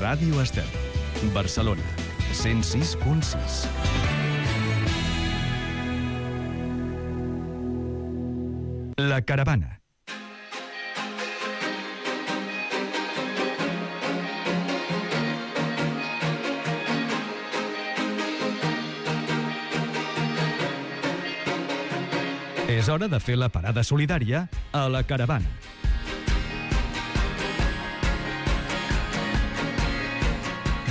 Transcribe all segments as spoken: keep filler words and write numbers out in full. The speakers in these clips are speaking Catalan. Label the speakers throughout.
Speaker 1: Ràdio Estel, Barcelona, cent sis punt sis. La Caravana. És hora de fer la parada solidària a La Caravana.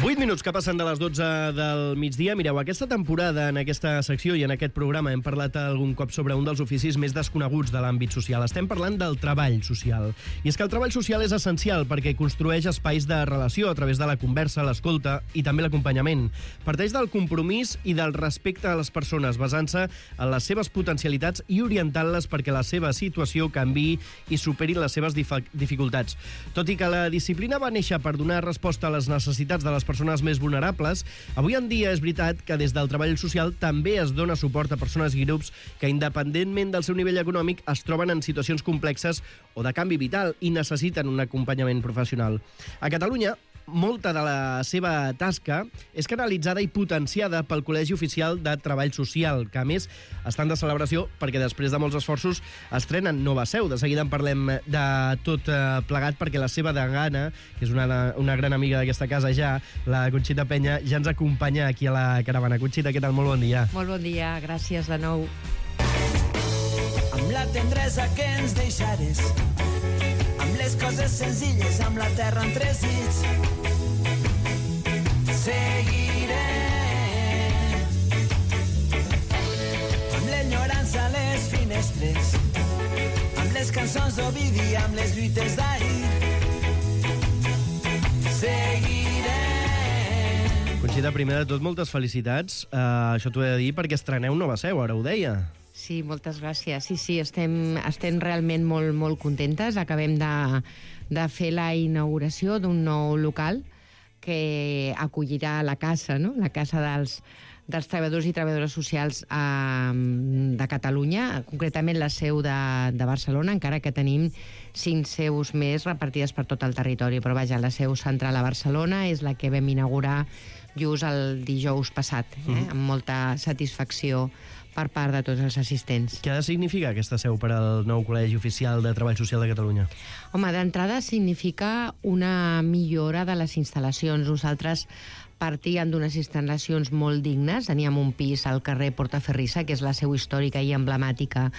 Speaker 2: vuit minuts que passen de les dotze del migdia. Mireu, aquesta temporada, en aquesta secció i en aquest programa, hem parlat algun cop sobre un dels oficis més desconeguts de l'àmbit social. Estem parlant del treball social. I és que el treball social és essencial perquè construeix espais de relació a través de la conversa, l'escolta i també l'acompanyament. Parteix del compromís i del respecte a les persones, basant-se en les seves potencialitats i orientant-les perquè la seva situació canviï i superi les seves dificultats. Tot i que la disciplina va néixer per donar resposta a les necessitats de les persones més vulnerables, avui en dia és veritat que des del treball social també es dona suport a persones i grups que, independentment del seu nivell econòmic, es troben en situacions complexes o de canvi vital i necessiten un acompanyament professional. A Catalunya, molta de la seva tasca és canalitzada i potenciada pel Col·legi Oficial de Treball Social, que a més estan de celebració perquè després de molts esforços estrenen nova seu. De seguida en parlem de tot plegat perquè la seva degana, que és una, una gran amiga d'aquesta casa ja, la Conxita Peña, ja ens acompanya aquí a la Caravana. Conxita, què tal? Molt bon dia.
Speaker 3: Molt bon dia, gràcies de nou.
Speaker 4: Amb la tendresa que ens deixares, amb les coses senzilles, amb la terra en tres dits, seguiré. Amb l'enyorança a les finestres, amb les cançons d'Ovidi, amb les lluites d'ahir, seguiré.
Speaker 2: Conxita, primer de tot, moltes felicitats. Uh, això t'ho he de dir perquè estreneu nova seu, ara ho deia.
Speaker 3: Sí, moltes gràcies. Sí, sí, estem, estem realment molt, molt contentes. Acabem de, de fer la inauguració d'un nou local que acollirà la casa, no? La casa dels, dels treballadors i treballadores socials eh, de Catalunya, concretament la seu de, de Barcelona, encara que tenim cinc seus més repartides per tot el territori. Però vaja, la seu central a Barcelona és la que vam inaugurar just el dijous passat, eh? Mm. Amb molta satisfacció per part de tots els assistents.
Speaker 2: Què ha de significar aquesta seu per al nou Col·legi Oficial de Treball Social de Catalunya?
Speaker 3: Home, d'entrada significa una millora de les instal·lacions. Nosaltres partíem d'unes instal·lacions molt dignes. Teníem un pis al carrer Portaferrissa, que és la seu històrica i emblemàtica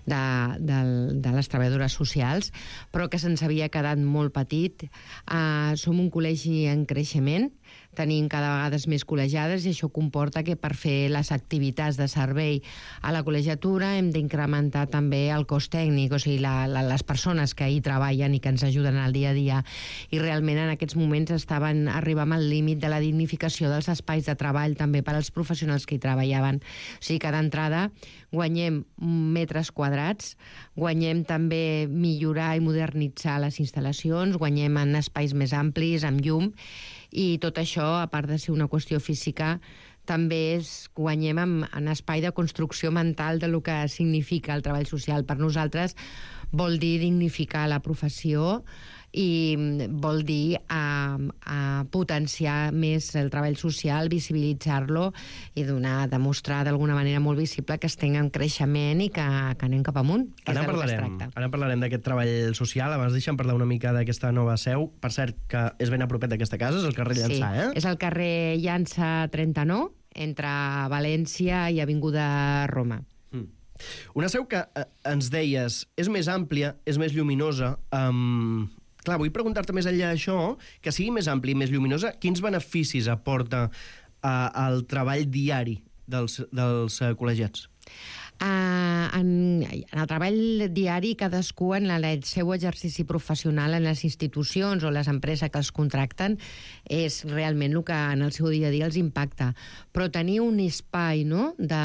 Speaker 3: de, de, de les treballadores socials, però que se'ns havia quedat molt petit. Uh, som un col·legi en creixement, tenim cada vegada més col·legiades i això comporta que per fer les activitats de servei a la col·legiatura hem d'incrementar també el cost tècnic, o sigui, la, la, les persones que hi treballen i que ens ajuden al dia a dia. I realment en aquests moments estaven arribant al límit de la dignificació dels espais de treball també per als professionals que hi treballaven. O sigui que d'entrada guanyem metres quadrats, guanyem també millorar i modernitzar les instal·lacions, guanyem en espais més amplis, amb llum, i tot això, a part de ser una qüestió física, també és, guanyem en, en espai de construcció mental de lo que significa el treball social. Per nosaltres vol dir dignificar la professió i vol dir a, a potenciar més el treball social, visibilitzar-lo i donar, demostrar d'alguna manera molt visible que estem en creixement i que, que anem cap amunt, que
Speaker 2: ara
Speaker 3: és del que es
Speaker 2: parlarem,
Speaker 3: tracta.
Speaker 2: ara parlarem d'aquest treball social. Abans deixa'm parlar una mica d'aquesta nova seu. Per cert, que és ben a propet d'aquesta casa, és el carrer Llançà,
Speaker 3: sí,
Speaker 2: eh?
Speaker 3: És el carrer Llançà trenta-nou, entre València i Avinguda Roma.
Speaker 2: Mm. Una seu que eh, ens deies és més àmplia, és més lluminosa. Um, clar, vull preguntar-te més enllà d'això, que sigui més àmplia i més lluminosa, quins beneficis aporta uh, al treball diari dels, dels uh, col·legiats?
Speaker 3: Uh, en, en el treball diari, cadascú en el seu exercici professional en les institucions o les empreses que els contracten és realment el que en el seu dia a dia els impacta. Però tenir un espai, no?, de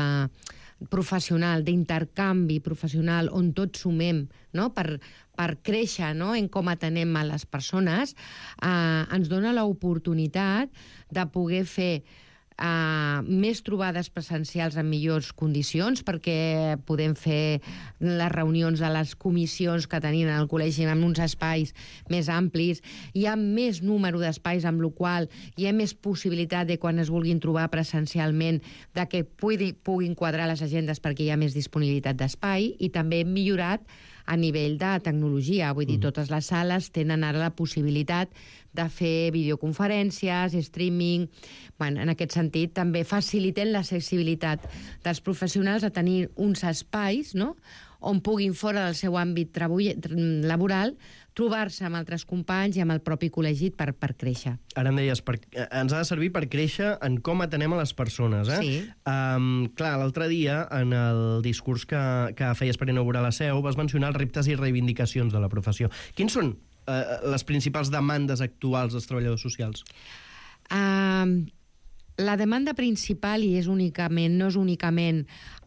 Speaker 3: professional, d'intercanvi professional on tots sumem, no?, per, per créixer, no?, en com atenem a les persones, eh, ens dona l'oportunitat de poder fer Uh, més trobades presencials en millors condicions, perquè podem fer les reunions de les comissions que tenim al col·legi en uns espais més amplis, hi ha més número d'espais, amb la qual hi ha més possibilitat de quan es vulguin trobar presencialment de que pugui, puguin quadrar les agendes perquè hi ha més disponibilitat d'espai, i també hem millorat a nivell de tecnologia. Vull dir, totes les sales tenen ara la possibilitat de fer videoconferències, streaming. Bueno, en aquest sentit, també faciliten l'accessibilitat dels professionals a tenir uns espais, no?, on puguin, fora del seu àmbit laboral, trobar-se amb altres companys i amb el propi col·legi per, per créixer.
Speaker 2: Ara em deies, per, ens ha de servir per créixer en com atenem a les persones, eh?
Speaker 3: Sí.
Speaker 2: Um, clar, l'altre dia, en el discurs que, que feies per inaugurar la seu, vas mencionar els reptes i reivindicacions de la professió. Quins són uh, les principals demandes actuals dels treballadors socials?
Speaker 3: Uh, la demanda principal, i és únicament, no és únicament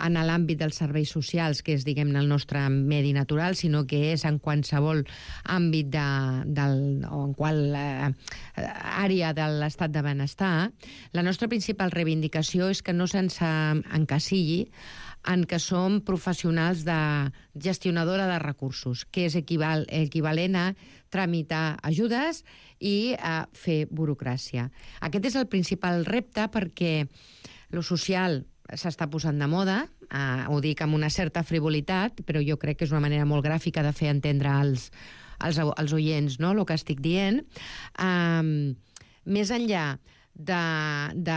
Speaker 3: en l'àmbit dels serveis socials, que és, diguem, el nostre medi natural, sinó que és en qualsevol àmbit de, del, o en qual eh, àrea de l'estat de benestar, la nostra principal reivindicació és que no se'ns encasilli en què som professionals de gestionadora de recursos, que és equival, equivalent a tramitar ajudes i a fer burocràcia. Aquest és el principal repte, perquè lo social s'està posant de moda, eh, ho dic amb una certa frivolitat, però jo crec que és una manera molt gràfica de fer entendre als, als, als oients, no?, el que estic dient. Um, més enllà De, de,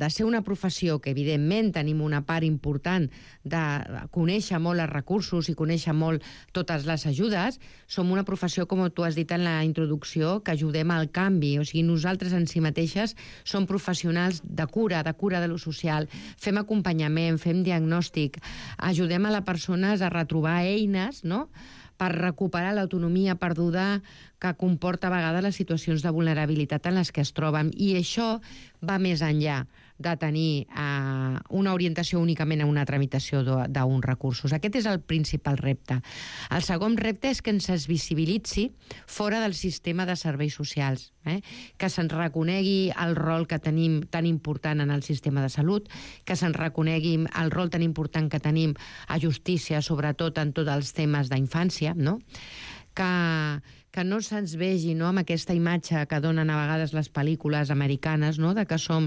Speaker 3: de ser una professió que, evidentment, tenim una part important de conèixer molt els recursos i conèixer molt totes les ajudes, som una professió, com tu has dit en la introducció, que ajudem al canvi. O sigui, nosaltres en si mateixes som professionals de cura, de cura de lo social, fem acompanyament, fem diagnòstic, ajudem a les persones a retrobar eines, no?, per recuperar l'autonomia perduda que comporta a vegades les situacions de vulnerabilitat en les que es troben. I això va més enllà de tenir eh, una orientació únicament a una tramitació d'uns recursos. Aquest és el principal repte. El segon repte és que ens es visibilitzi fora del sistema de serveis socials, eh? que se'ns reconegui el rol que tenim tan important en el sistema de salut, que se'ns reconegui el rol tan important que tenim a justícia, sobretot en tots els temes d'infància, no?, que, que no se'ns vegi, no?, amb aquesta imatge que donen a vegades les pel·lícules americanes, no?, de que som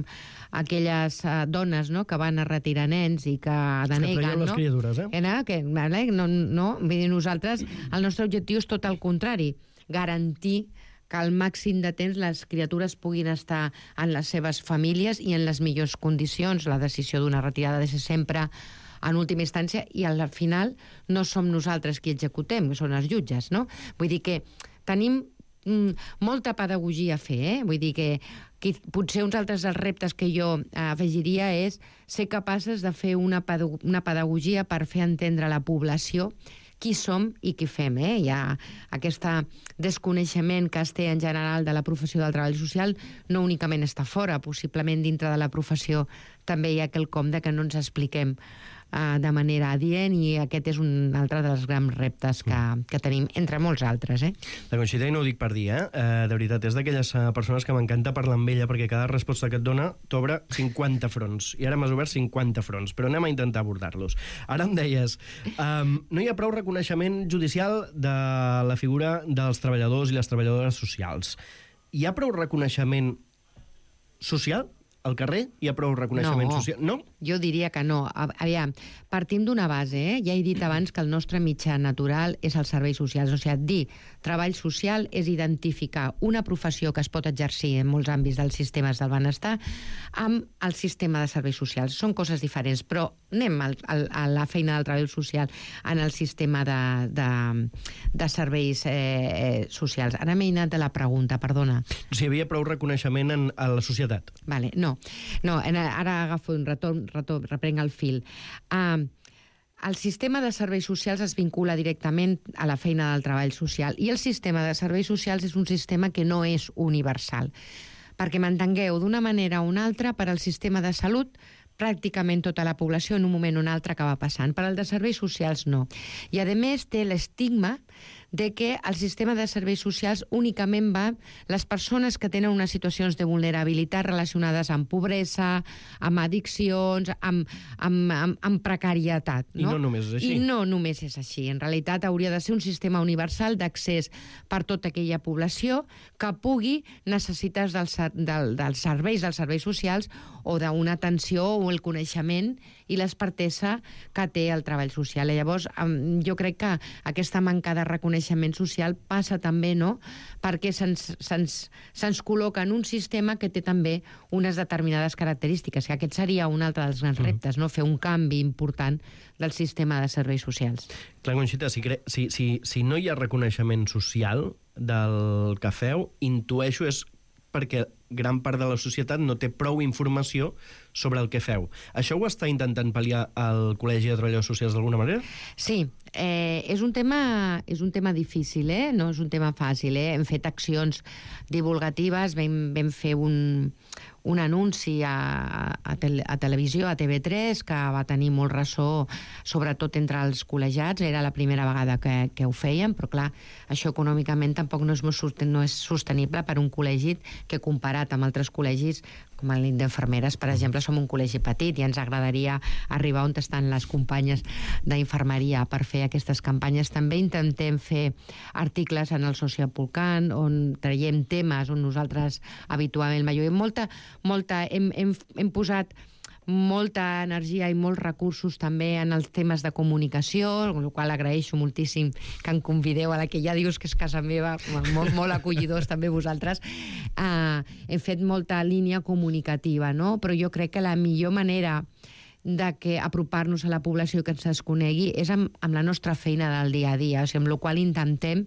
Speaker 3: aquelles uh, dones, no?, que van a retirar nens i que deneguen,
Speaker 2: que
Speaker 3: no?
Speaker 2: les criatures, eh?
Speaker 3: Eh, que, no, no, vull dir, nosaltres, el nostre objectiu és tot el contrari, garantir que al màxim de temps les criatures puguin estar en les seves famílies i en les millors condicions. La decisió d'una retirada ha de ser sempre en última instància, i al final no som nosaltres qui executem, són els jutges, no? Vull dir que tenim mm, molta pedagogia a fer, eh? Vull dir que, que potser uns altres dels reptes que jo eh, afegiria és ser capaces de fer una, pedag una pedagogia per fer entendre a la població qui som i què fem, eh? Hi ha aquest desconeixement que es té en general de la professió del treball social, no únicament està fora, possiblement dintre de la professió també hi ha quelcom de que no ens expliquem uh, de manera adient, i aquest és un altre dels grans reptes que, que tenim, entre molts altres, eh?
Speaker 2: La Conxita, i no ho dic per dir, eh? Uh, de veritat, és d'aquelles uh, persones que m'encanta parlar amb ella, perquè cada resposta que et dona t'obre cinquanta fronts, i ara m'has obert cinquanta fronts, però anem a intentar abordar-los. Ara em deies, um, no hi ha prou reconeixement judicial de la figura dels treballadors i les treballadores socials. Hi ha prou reconeixement social? Al carrer hi ha prou reconeixement
Speaker 3: no,
Speaker 2: social? No?
Speaker 3: Jo diria que no. Aviam, partim d'una base, eh? Ja he dit abans que el nostre mitjà natural és els serveis socials. O sigui, dir treball social és identificar una professió que es pot exercir en molts àmbits dels sistemes del benestar amb el sistema de serveis socials. Són coses diferents, però anem al, al, a la feina del treball social en el sistema de, de, de serveis eh, socials. Ara m'he anat de la pregunta, perdona.
Speaker 2: Si hi havia prou reconeixement en, a la societat.
Speaker 3: Vale, no. No, ara agafo un retorn, retorn reprenc el fil. Uh, el sistema de serveis socials es vincula directament a la feina del treball social, i el sistema de serveis socials és un sistema que no és universal. Perquè m'entengueu, d'una manera o una altra, per al sistema de salut, pràcticament tota la població en un moment o un altre acaba passant. Per al de serveis socials, no. I, a més, té l'estigma de que el sistema de serveis socials únicament va les persones que tenen unes situacions de vulnerabilitat relacionades amb pobresa, amb addiccions, amb, amb, amb, amb precarietat.
Speaker 2: No? I no només és així.
Speaker 3: I no només és així. En realitat hauria de ser un sistema universal d'accés per tota aquella població que pugui necessitar dels, del, dels serveis, dels serveis socials o d'una atenció o el coneixement i l'expertesa que té el treball social. I llavors, jo crec que aquesta manca de reconeixement social passa també, no?, perquè se'ns se'ns se'ns col·loca en un sistema que té també unes determinades característiques, que aquest seria un altre dels grans reptes, no?, fer un canvi important del sistema de serveis socials.
Speaker 2: Clar, Conxita, si, cre... si, si, si no hi ha reconeixement social del que feu, intueixo és perquè gran part de la societat no té prou informació sobre el que feu. Això ho està intentant pal·liar el Col·legi de Treballadors Socials d'alguna manera?
Speaker 3: Sí, eh, és un tema és un tema difícil, eh? No és un tema fàcil, eh? Hem fet accions divulgatives, vam, vam fer un, un anunci a, a, tel, a televisió, a T V tres, que va tenir molt ressò, sobretot entre els col·legiats. Era la primera vegada que, que ho fèiem, però clar, això econòmicament tampoc no és, no és sostenible per un col·legi que, comparat amb altres col·legis, com el d'infermeres, per exemple, som un col·legi petit i ens agradaria arribar on estan les companyes d'infermeria per fer aquestes campanyes. També intentem fer articles en el Socialpolcant, on traiem temes on nosaltres habitualment veiem molta, molta, hem, hem, hem posat molta energia i molts recursos també en els temes de comunicació, amb la qual agraeixo moltíssim que em convideu, a la que ja dius que és casa meva, molt, molt acollidors també vosaltres. Uh, hem fet molta línia comunicativa, no? Però jo crec que la millor manera de que apropar-nos a la població que ens es conegui és amb, amb la nostra feina del dia a dia, o sigui, amb la qual intentem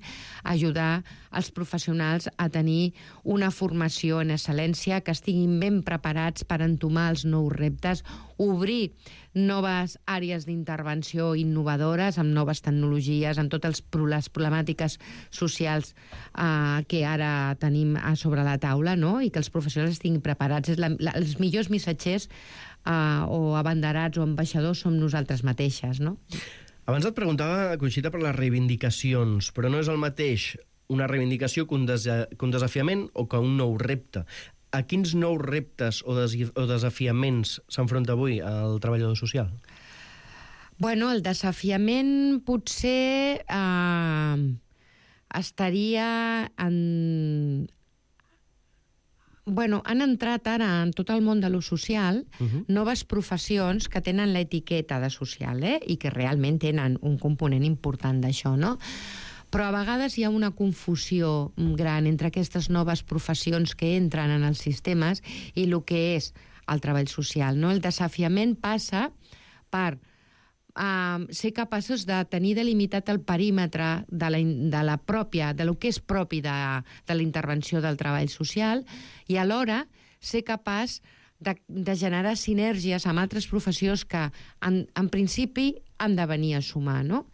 Speaker 3: ajudar els professionals a tenir una formació en excel·lència, que estiguin ben preparats per entomar els nous reptes, obrir noves àrees d'intervenció innovadores, amb noves tecnologies, amb totes les problemàtiques socials eh, que ara tenim sobre la taula, no? I que els professionals estiguin preparats. És la, la, els millors missatgers Uh, o abanderats o ambaixadors som nosaltres mateixes, no?
Speaker 2: Abans et preguntava, Conxita, per les reivindicacions, però no és el mateix una reivindicació que un, des que un desafiament o que un nou repte. A quins nous reptes o, des o desafiaments s'enfronta avui el treballador social?
Speaker 3: Bueno, el desafiament potser eh, estaria en... Bueno, han entrat ara en tot el món de lo social uh-huh. noves professions que tenen l'etiqueta de social, eh? I que realment tenen un component important d'això, no? Però a vegades hi ha una confusió gran entre aquestes noves professions que entren en els sistemes i el que és el treball social, no? El desafiament passa per Uh, ser capaços de tenir delimitat el perímetre de la, de la pròpia, de lo que és propi de, de la intervenció del treball social i alhora ser capaç de, de generar sinergies amb altres professions que en, en principi han de venir a sumar, no?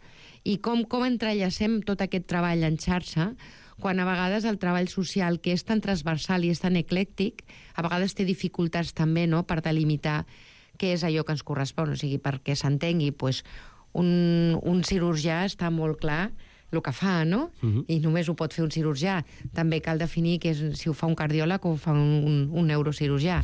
Speaker 3: I com, com entrellacem tot aquest treball en xarxa quan a vegades el treball social, que és tan transversal i és tan eclèctic, a vegades té dificultats també, no?, per delimitar què és allò que ens correspon, o sigui, perquè s'entengui, pues, un, un cirurgià està molt clar el que fa, no? Uh-huh. I només ho pot fer un cirurgià. També cal definir que és, si ho fa un cardiòleg o ho fa un, un, un neurocirurgià.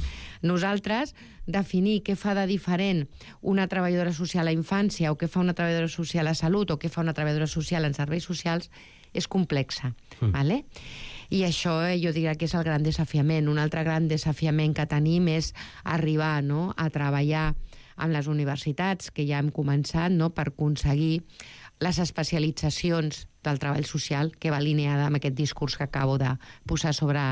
Speaker 3: Nosaltres, definir què fa de diferent una treballadora social a infància o què fa una treballadora social a salut o què fa una treballadora social en serveis socials és complexa, uh-huh. ¿vale? I això eh, jo diria que és el gran desafiament. Un altre gran desafiament que tenim és arribar, no?, a treballar amb les universitats, que ja hem començat, no?, per aconseguir les especialitzacions del treball social, que va alineada amb aquest discurs que acabo de posar sobre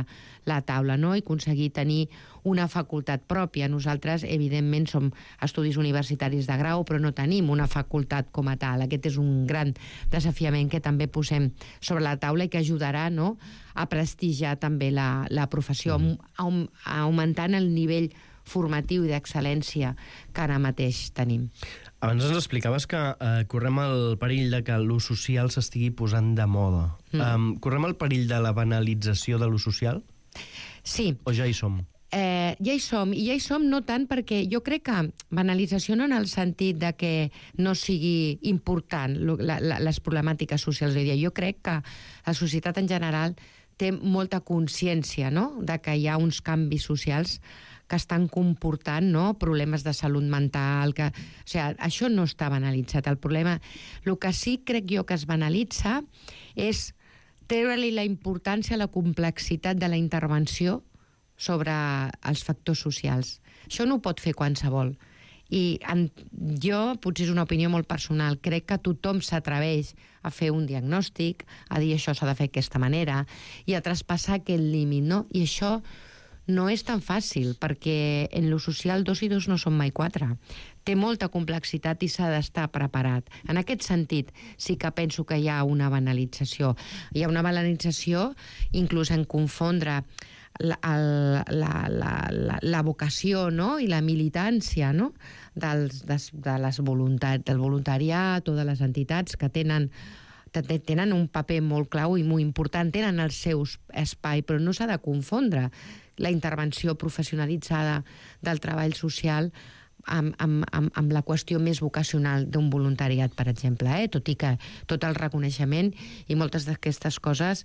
Speaker 3: la taula, no?, i aconseguir tenir una facultat pròpia. Nosaltres, evidentment, som estudis universitaris de grau, però no tenim una facultat com a tal. Aquest és un gran desafiament que també posem sobre la taula i que ajudarà, no?, a prestigiar també la, la professió, mm. augmentant el nivell formatiu i d'excel·lència que ara mateix tenim.
Speaker 2: Abans ens explicaves que eh, correm el perill de que l'ús social s'estigui posant de moda. Mm. Um, correm el perill de la banalització de l'ús social?
Speaker 3: Sí.
Speaker 2: O ja hi som?
Speaker 3: Eh, ja hi som, i ja hi som no tant perquè jo crec que banalització no en el sentit de que no sigui important la, la, les problemàtiques socials d'avui dia. Jo crec que la societat en general té molta consciència, no?, de que hi ha uns canvis socials que estan comportant, no?, problemes de salut mental, que... O sigui, això no està banalitzat. El problema... El que sí crec jo que es banalitza és treure-li la importància, la complexitat de la intervenció sobre els factors socials. Això no ho pot fer qualsevol. I en, jo, potser és una opinió molt personal, crec que tothom s'atreveix a fer un diagnòstic, a dir això s'ha de fer d'aquesta manera, i a traspassar aquest límit, no? I això no és tan fàcil, perquè en lo social dos i dos no són mai quatre. Té molta complexitat i s'ha d'estar preparat. En aquest sentit, sí que penso que hi ha una banalització. Hi ha una banalització inclús en confondre La, la, la, la, la vocació, no?, i la militància, no?, dels, des, de les voluntat, del voluntariat o de les entitats que tenen, tenen un paper molt clau i molt important, tenen el seu espai, però no s'ha de confondre la intervenció professionalitzada del treball social amb, amb, amb, amb la qüestió més vocacional d'un voluntariat, per exemple, eh? Tot i que tot el reconeixement i moltes d'aquestes coses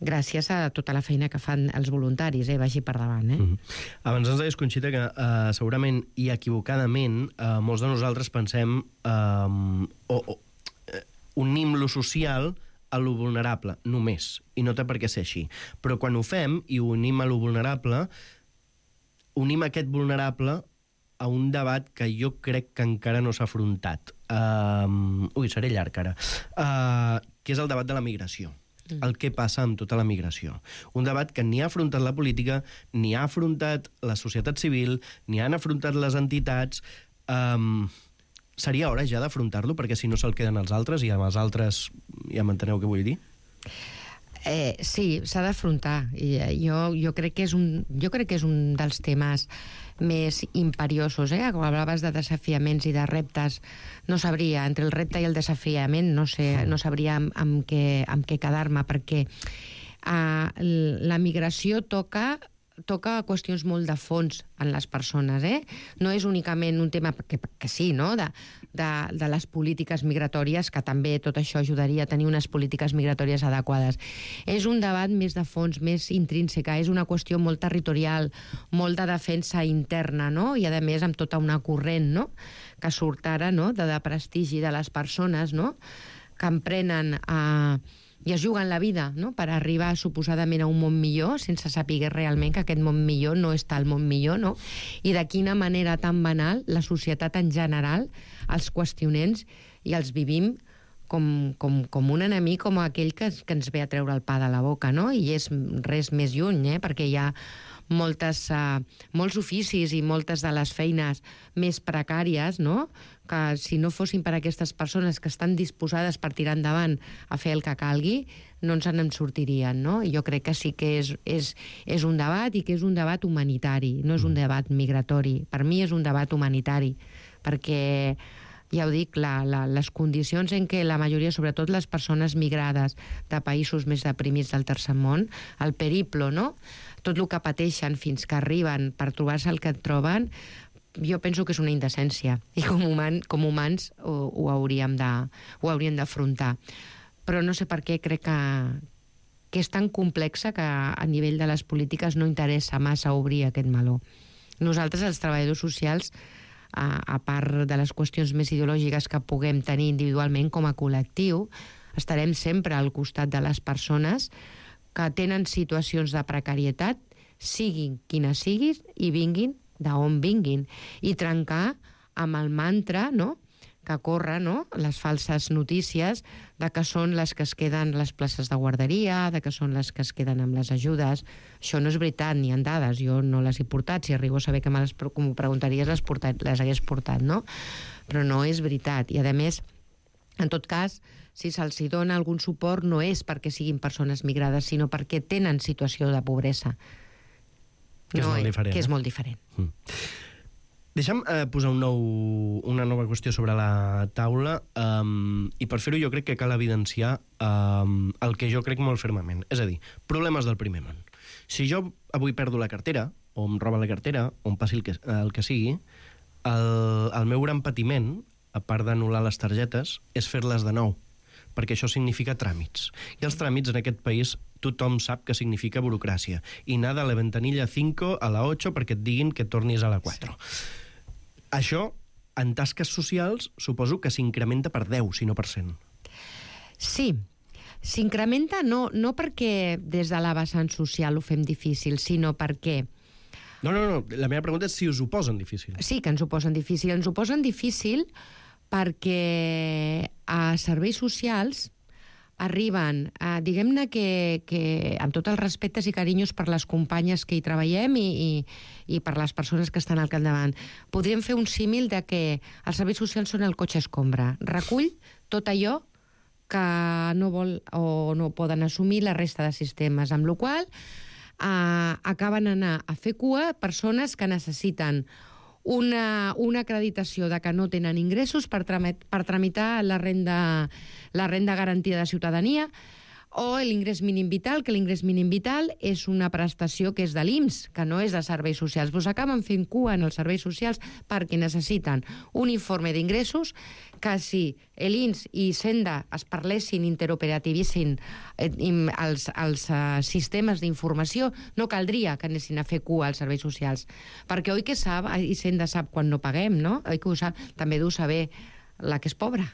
Speaker 3: gràcies a tota la feina que fan els voluntaris, eh? Vagi per davant. Eh?
Speaker 2: Mm-hmm. Abans ens deies, Conxita, que uh, segurament i equivocadament uh, molts de nosaltres pensem uh, o, o uh, unim lo social a lo vulnerable, només, i no té per què ser així. Però quan ho fem i ho unim a lo vulnerable, unim aquest vulnerable a un debat que jo crec que encara no s'ha afrontat. Uh, ui, seré llarg ara. Uh, que és el debat de la migració. El que passa amb tota la migració. Un debat que ni ha afrontat la política, ni ha afrontat la societat civil, ni han afrontat les entitats. Um, seria hora ja d'afrontar-lo, perquè si no se'l queden els altres, i amb els altres ja m'enteneu què vull dir?
Speaker 3: Eh, sí, s'ha d'afrontar. Jo, jo, crec que és un, jo crec que és un dels temes més imperiosos, eh? Quan parlaves de desafiaments i de reptes, no sabria, entre el repte i el desafiament, no sé, no sabria amb, amb, què, amb què quedar-me, perquè uh, la migració toca toca qüestions molt de fons en les persones, eh? No és únicament un tema que, que sí, no?, de, de, de les polítiques migratòries, que també tot això ajudaria a tenir unes polítiques migratòries adequades. És un debat més de fons, més intrínseca, és una qüestió molt territorial, molt de defensa interna, no?, i a més amb tota una corrent, no?, que surt ara, no?, de, de prestigi de les persones, no?, que emprenen a... i es juguen la vida, no?, per arribar suposadament a un món millor, sense saber realment que aquest món millor no està al món millor, no? I de quina manera tan banal la societat en general els qüestionem i els vivim com, com, com un enemic, com aquell que, que ens ve a treure el pa de la boca, no? I és res més lluny, eh?, perquè hi ha moltes, uh, molts oficis i moltes de les feines més precàries, no?, que si no fossin per aquestes persones que estan disposades per tirar endavant a fer el que calgui, no ens en sortirien, no? I jo crec que sí que és, és, és un debat i que és un debat humanitari, no és un debat migratori. Per mi és un debat humanitari, perquè, ja ho dic, la, la, les condicions en què la majoria, sobretot les persones migrades de països més deprimits del tercer món, el periplo, no?, tot el que pateixen fins que arriben per trobar-se el que et troben, jo penso que és una indecència, i com, human, com humans ho, ho hauríem de, ho hauríem d'afrontar. Però no sé per què crec que, que és tan complexa que a nivell de les polítiques no interessa massa obrir aquest meló. Nosaltres, els treballadors socials, a, a part de les qüestions més ideològiques que puguem tenir individualment com a col·lectiu, estarem sempre al costat de les persones que tenen situacions de precarietat, siguin quines siguin i vinguin d'on vinguin, i trencar amb el mantra, no?, que corre, no?, les falses notícies de que són les que es queden les places de guarderia, de que són les que es queden amb les ajudes. Això no és veritat, ni en dades, jo no les he portat, si arribo a saber que me les preguntaries les, portat, les hagués portat, no? Però no és veritat, i a més, en tot cas, si se'ls dona algun suport no és perquè siguin persones migrades, sinó perquè tenen situació de pobresa.
Speaker 2: Que és, no, molt diferent,
Speaker 3: que és
Speaker 2: eh?
Speaker 3: molt diferent.
Speaker 2: Mm. Deixa'm eh, posar un nou, una nova qüestió sobre la taula, um, i per fer-ho jo crec que cal evidenciar um, el que jo crec molt fermament. És a dir, problemes del primer món. Si jo avui perdo la cartera, o em roba la cartera, o em passi el que, el que sigui, el, el meu gran patiment, a part d'anul·lar les targetes, és fer-les de nou, perquè això significa tràmits. I els tràmits en aquest país tothom sap que significa burocràcia. I anar de la ventanilla cinco a la ocho perquè et diguin que tornis a la quatre. Sí. Això, en tasques socials, suposo que s'incrementa per deu, si no per cent.
Speaker 3: Sí. S'incrementa no, no perquè des de la vessant social ho fem difícil, sinó perquè...
Speaker 2: No, no, no. La meva pregunta és si us ho posen difícil.
Speaker 3: Sí, que ens ho posen difícil. Ens ho posen difícil perquè a serveis socials arriben, eh, diguem-ne que, que amb tots els respectes i carinyos per les companyes que hi treballem i, i, i per les persones que estan al capdavant, podríem fer un símil de que els serveis socials són el cotxe escombra. Recull tot allò que no vol o no poden assumir la resta de sistemes, amb la qual cosa eh, acaben anar a fer cua persones que necessiten una, una acreditació de que no tenen ingressos per, tramit, per tramitar la renda, la renda garantida de ciutadania o l'ingrés mínim vital, que l'ingrés mínim vital és una prestació que és de l'I M S, que no és de serveis socials. Pues acaben fent cua en els serveis socials perquè necessiten un informe d'ingressos que si l'I N S i Senda es parlessin, interoperativissin eh, els, els uh, sistemes d'informació, no caldria que anessin a fer cua als serveis socials. Perquè oi que sap, i Senda sap quan no paguem, no? Oi que ho sap? També deu saber la que és pobra.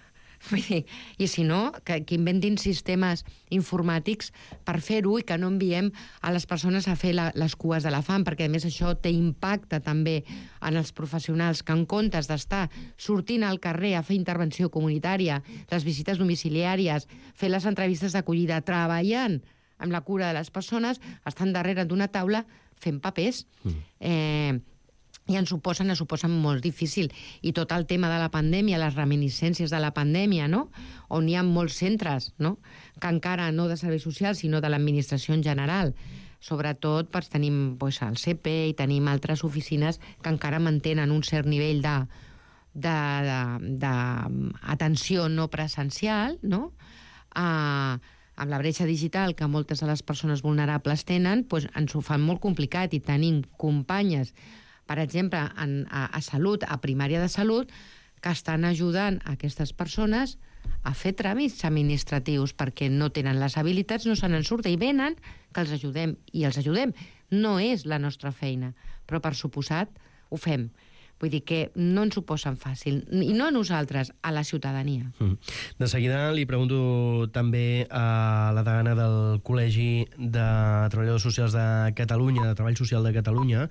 Speaker 3: I si no, que, que inventin sistemes informàtics per fer-ho i que no enviem a les persones a fer la, les cues de la fam, perquè a més això té impacte també en els professionals que en comptes d'estar sortint al carrer a fer intervenció comunitària, les visites domiciliàries, fer les entrevistes d'acollida, treballant amb la cura de les persones, estan darrere d'una taula fent papers. Mm. Eh, i ens ho posen, ens ho posen molt difícil. I tot el tema de la pandèmia, les reminiscències de la pandèmia, no? On hi ha molts centres, no? Que encara no de serveis socials, sinó de l'administració en general. Sobretot doncs, tenim doncs, el C P i tenim altres oficines que encara mantenen un cert nivell de d'atenció no presencial, no? Uh, amb la bretxa digital que moltes de les persones vulnerables tenen, doncs, ens ho fan molt complicat i tenim companyes, per exemple, en, a, a salut, a primària de salut, que estan ajudant a aquestes persones a fer tràmits administratius perquè no tenen les habilitats, no se n'en surten i venen que els ajudem i els ajudem. No és la nostra feina, però per suposat ho fem. Vull dir que no ens ho posen fàcil, i no a nosaltres, a la ciutadania.
Speaker 2: Mm. De seguida li pregunto també a la degana del Col·legi de Treballadors Socials de Catalunya, de Treball Social de Catalunya,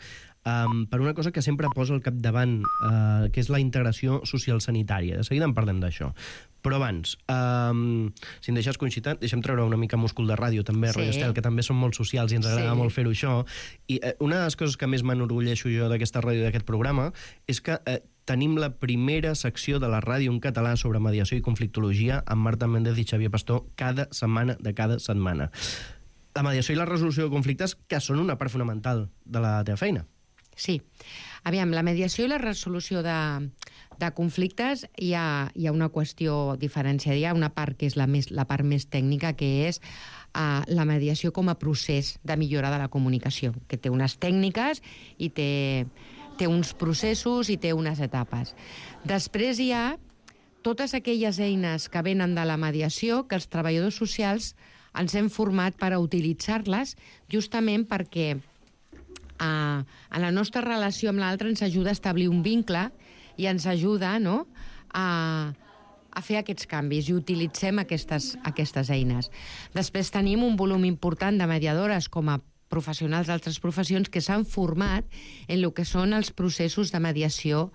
Speaker 2: um, per una cosa que sempre posa al capdavant, uh, que és la integració social sanitària. De seguida en parlem d'això. Però abans, um, si em deixes coincidir, deixem treure una mica múscul de ràdio, també, sí. Roger Estel, que també som molt socials i ens agrada sí. molt fer-ho això. I uh, una de les coses que més m'enorgulleixo jo d'aquesta ràdio, d'aquest programa, és que uh, tenim la primera secció de la ràdio en català sobre mediació i conflictologia amb Marta Méndez i Xavier Pastor cada setmana de cada setmana. La mediació i la resolució de conflictes que són una part fonamental de la teva feina.
Speaker 3: Sí. Aviam, la mediació i la resolució de, de conflictes hi ha, hi ha una qüestió diferenciada. Hi ha una part que és la, més, la part més tècnica, que és uh, la mediació com a procés de millora de la comunicació, que té unes tècniques i té, té uns processos i té unes etapes. Després hi ha totes aquelles eines que venen de la mediació que els treballadors socials ens hem format per a utilitzar-les justament perquè Uh, en la nostra relació amb l'altre ens ajuda a establir un vincle i ens ajuda, no?, a, a fer aquests canvis i utilitzem aquestes, aquestes eines. Després tenim un volum important de mediadores com a professionals d'altres professions que s'han format en el que són els processos de mediació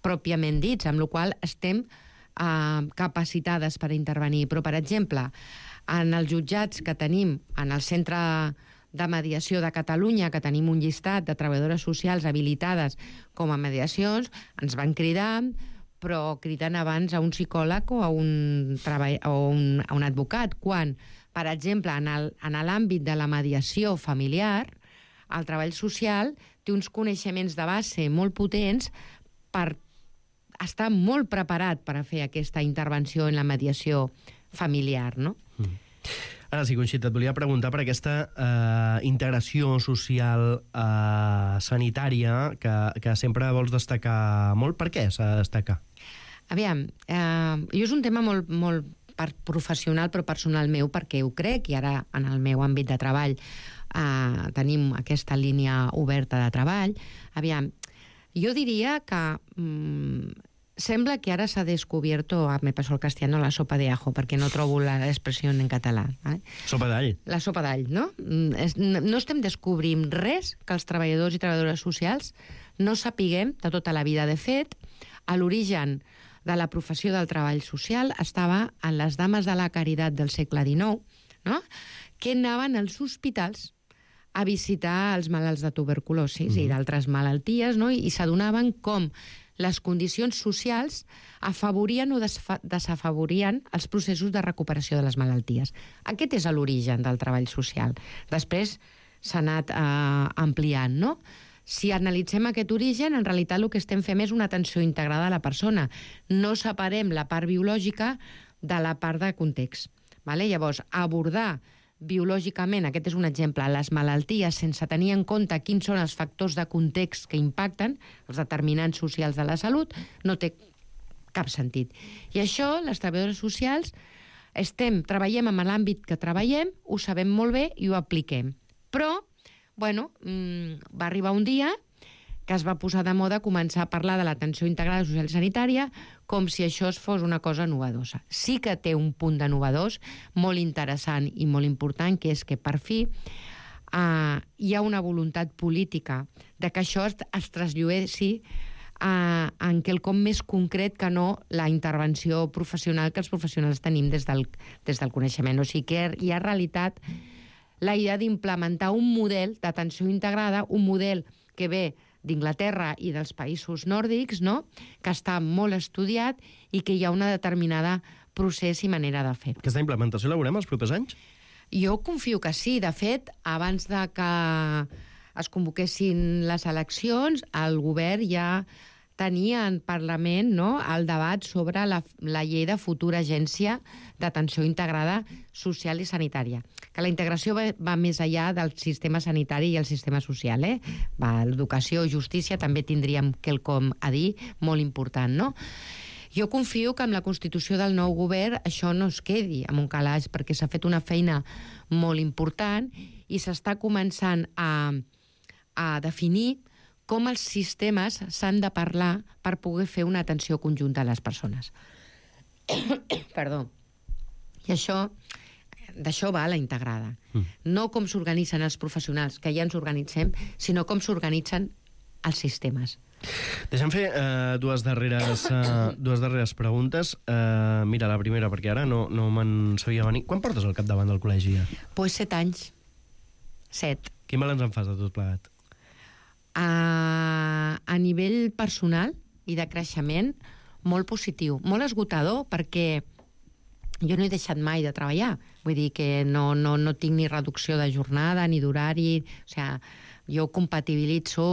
Speaker 3: pròpiament dits, amb la qual estem uh, capacitades per intervenir. Però, per exemple, en els jutjats que tenim en el centre de mediació de Catalunya, que tenim un llistat de treballadores socials habilitades com a mediacions, ens van cridar, però cridant abans a un psicòleg o a un, treball, o un, a un advocat, quan, per exemple, en l'àmbit de la mediació familiar, el treball social té uns coneixements de base molt potents per estar molt preparat per a fer aquesta intervenció en la mediació familiar, no? Mm.
Speaker 2: Ara sí, Conxita, et volia preguntar per aquesta eh, integració social eh, sanitària que, que sempre vols destacar molt. Per què s'ha de destacar?
Speaker 3: Aviam, eh, jo és un tema molt, molt professional però personal meu, perquè ho crec, i ara en el meu àmbit de treball eh, tenim aquesta línia oberta de treball. Aviam, jo diria que mm, sembla que ara s'ha descobierto, me paso al castellano, la sopa de ajo, perquè no trobo l'expressió en català. Eh?
Speaker 2: Sopa d'all.
Speaker 3: La sopa d'all, no? No estem descobrint res que els treballadors i treballadores socials no sapiguem de tota la vida. De fet, a l'origen de la professió del treball social estava en les dames de la caritat del segle dinou, no? Que anaven als hospitals a visitar els malalts de tuberculosi mm. i d'altres malalties, no? I s'adonaven com les condicions socials afavorien o desafavorien els processos de recuperació de les malalties. Aquest és l'origen del treball social. Després s'ha anat eh, ampliant, no? Si analitzem aquest origen, en realitat el que estem fent és una atenció integrada a la persona. No separem la part biològica de la part de context. Vale? Llavors, abordar biològicament, aquest és un exemple, les malalties sense tenir en compte quins són els factors de context que impacten, els determinants socials de la salut, no té cap sentit. I això, les treballadores socials, estem, treballem en l'àmbit que treballem, ho sabem molt bé i ho apliquem. Però bueno, va arribar un dia que es va posar de moda començar a parlar de l'atenció integrada social i sanitària com si això fos una cosa novedosa. Sí que té un punt de novedós molt interessant i molt important, que és que per fi eh, hi ha una voluntat política de que això es, es trasllueixi eh, en quelcom més concret que no la intervenció professional que els professionals tenim des del, des del coneixement. O sigui que hi ha realitat la idea d'implementar un model d'atenció integrada, un model que ve d'Inglaterra i dels països nòrdics, no? Que està molt estudiat i que hi ha una determinada procés i manera de fer.
Speaker 2: Aquesta implementació la veurem els propers anys?
Speaker 3: Jo confio que sí. De fet, abans de que es convoquessin les eleccions, el govern ja tenia en Parlament, no, el debat sobre la, la llei de futura agència d'atenció integrada social i sanitària. Que la integració va, va més enllà del sistema sanitari i el sistema social, eh? Va, l'educació, justícia, també tindríem quelcom a dir molt important, no? Jo confio que amb la constitució del nou govern això no es quedi amb un calaix, perquè s'ha fet una feina molt important i s'està començant a, a definir com els sistemes s'han de parlar per poder fer una atenció conjunta a les persones. Perdó. I això, d'això va la integrada. Mm. No com s'organitzen els professionals, que ja ens organitzem, sinó com s'organitzen els sistemes.
Speaker 2: Deixa'm fer uh, dues, darreres, uh, dues darreres preguntes. Uh, mira, la primera, perquè ara no, no me'n sabia venir. Quan portes al capdavant del col·legi? Ja?
Speaker 3: Pues set anys. Set.
Speaker 2: Quin balanç en fas de tot plegat?
Speaker 3: A, a nivell personal i de creixement, molt positiu, molt esgotador, perquè jo no he deixat mai de treballar. Vull dir que no, no, no tinc ni reducció de jornada, ni d'horari. O sigui, jo compatibilitzo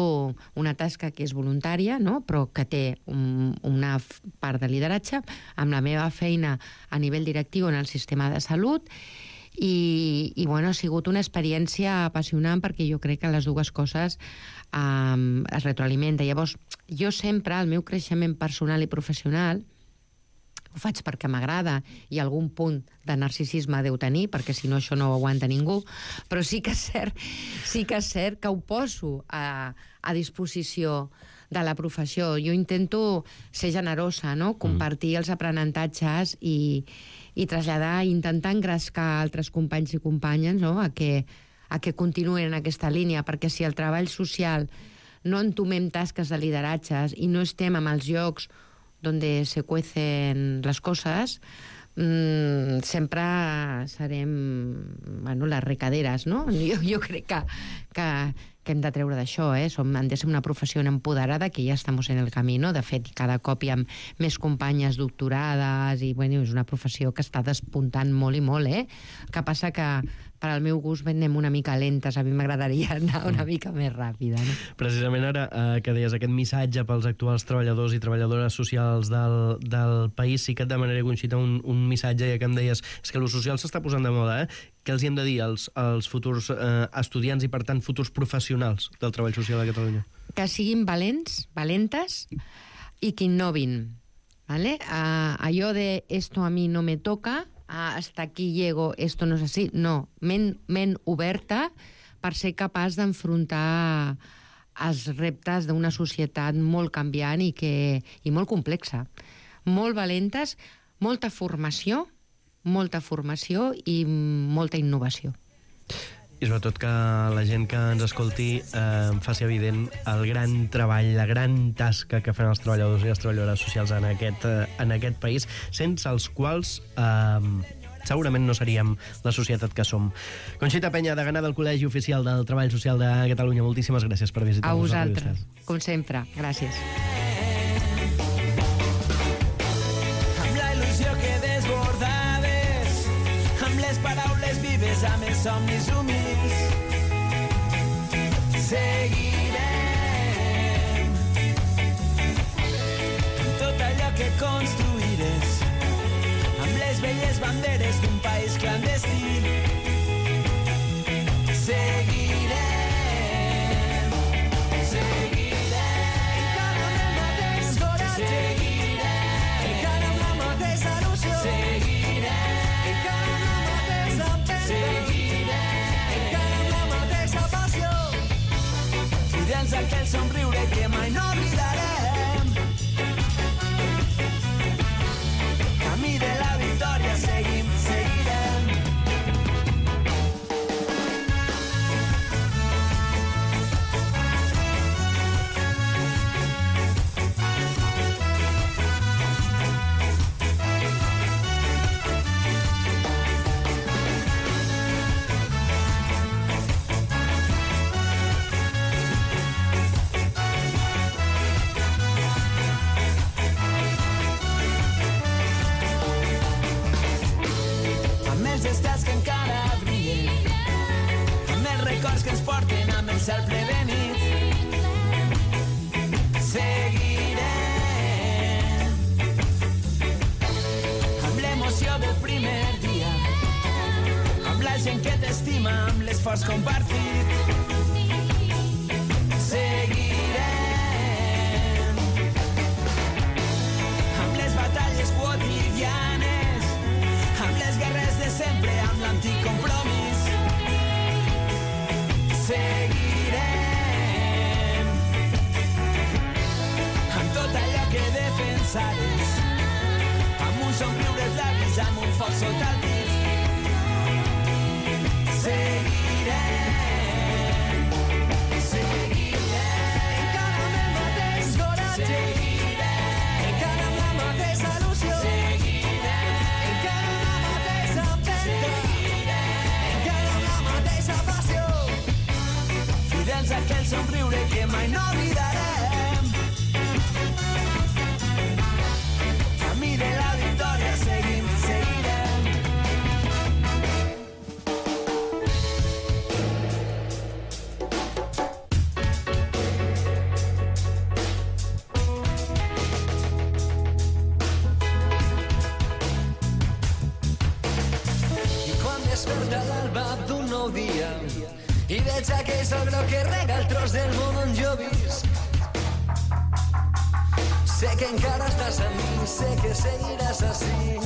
Speaker 3: una tasca que és voluntària, no? Però que té un, una part de lideratge amb la meva feina a nivell directiu en el sistema de salut. I, i bueno, ha sigut una experiència apassionant, perquè jo crec que les dues coses um, es retroalimenten. Llavors, jo sempre, el meu creixement personal i professional, ho faig perquè m'agrada i algun punt de narcisisme deu tenir, perquè si no això no ho aguanta ningú, però sí que és cert, sí que, és cert que ho poso a, a disposició de la professió. Jo intento ser generosa, no? Compartir els aprenentatges i, i traslladar, intentar engrescar altres companys i companyes, no? a, que, a que continuïn en aquesta línia, perquè si el treball social no entomem tasques de lideratges i no estem amb els llocs donde se cuecen les coses, mmm, sempre serem, bueno, les recaderes, no? Jo, jo crec que, que, que hem de treure d'això, eh? Som, hem de ser una professió empoderada, que ja estem en el camí, no? De fet, cada cop hi ha més companyes doctorades i, bueno, és una professió que està despuntant molt i molt, eh? El que passa que per al meu gust anem una mica lentes, a mi m'agradaria anar una mica més ràpida, no?
Speaker 2: Precisament ara eh, que deies aquest missatge pels actuals treballadors i treballadores socials del, del país, sí que et demanaré, Conxita, un, un missatge, ja que em deies, és que lo social s'està posant de moda, eh? què els hi hem de dir als, als futurs eh, estudiants i, per tant, futurs professionals del treball social a Catalunya?
Speaker 3: Que siguin valents, valentes i que innovin. ¿Vale? Uh, allò de esto a mi no me toca, uh, hasta aquí llego, esto no és así. No, ment, ment oberta per ser capaç d'enfrontar els reptes d'una societat molt canviant i, que, i molt complexa. Molt valentes, molta formació, molta formació i molta innovació.
Speaker 2: I sobretot que la gent que ens escolti eh, faci evident el gran treball, la gran tasca que fan els treballadors i les treballadores socials en aquest, eh, en aquest país, sense els quals eh, segurament no seríem la societat que som. Conxita Penya, degana del Col·legi Oficial del Treball Social de Catalunya, moltíssimes gràcies per visitar-nos.
Speaker 3: A vosaltres, com sempre. Gràcies.
Speaker 4: Amb la il·lusió que desbordaves, amb les paraules vives, amb els somnis humils, seguirem amb tot allò que construiràs, amb les velles banderes d'un país clandestí. Seguirem, seguirem, encara amb el mateix coratge, seguirem, encara amb la mateixa il·lusió, seguirem, encara amb la mateixa empenta, seguirem, encara amb la mateixa passió, fidels a aquell somriure que mai no oblidarem. Camí de la victòria seguim, seguirem. Que ens porten amb el cel ple de nit. Seguirem amb l'emoció del primer dia, amb la gent que t'estima, amb l'esforç compartit. Seguirem amb les batalles quotidianes, amb les guerres de sempre, amb l'antic compromís. Seguirem amb tot allò que defensares, amb un somriure als llavis, amb un foc sota el pit. Seguirem, seguirem, encara amb el mateix coratge, seguirem, encara amb la mateixa il·lusió, seguirem, encara amb la mateixa empenta, seguirem, encara amb la mateixa passió, fidels a aquell somriure que mai no oblidarem. Camí de la victòria seguim, seguirem. I quan desperta l'alba d'un nou dia i veig aquell sol groc que rega el tros del món on jo visc, sé que encara estàs amb mi, sé que seguiràs així,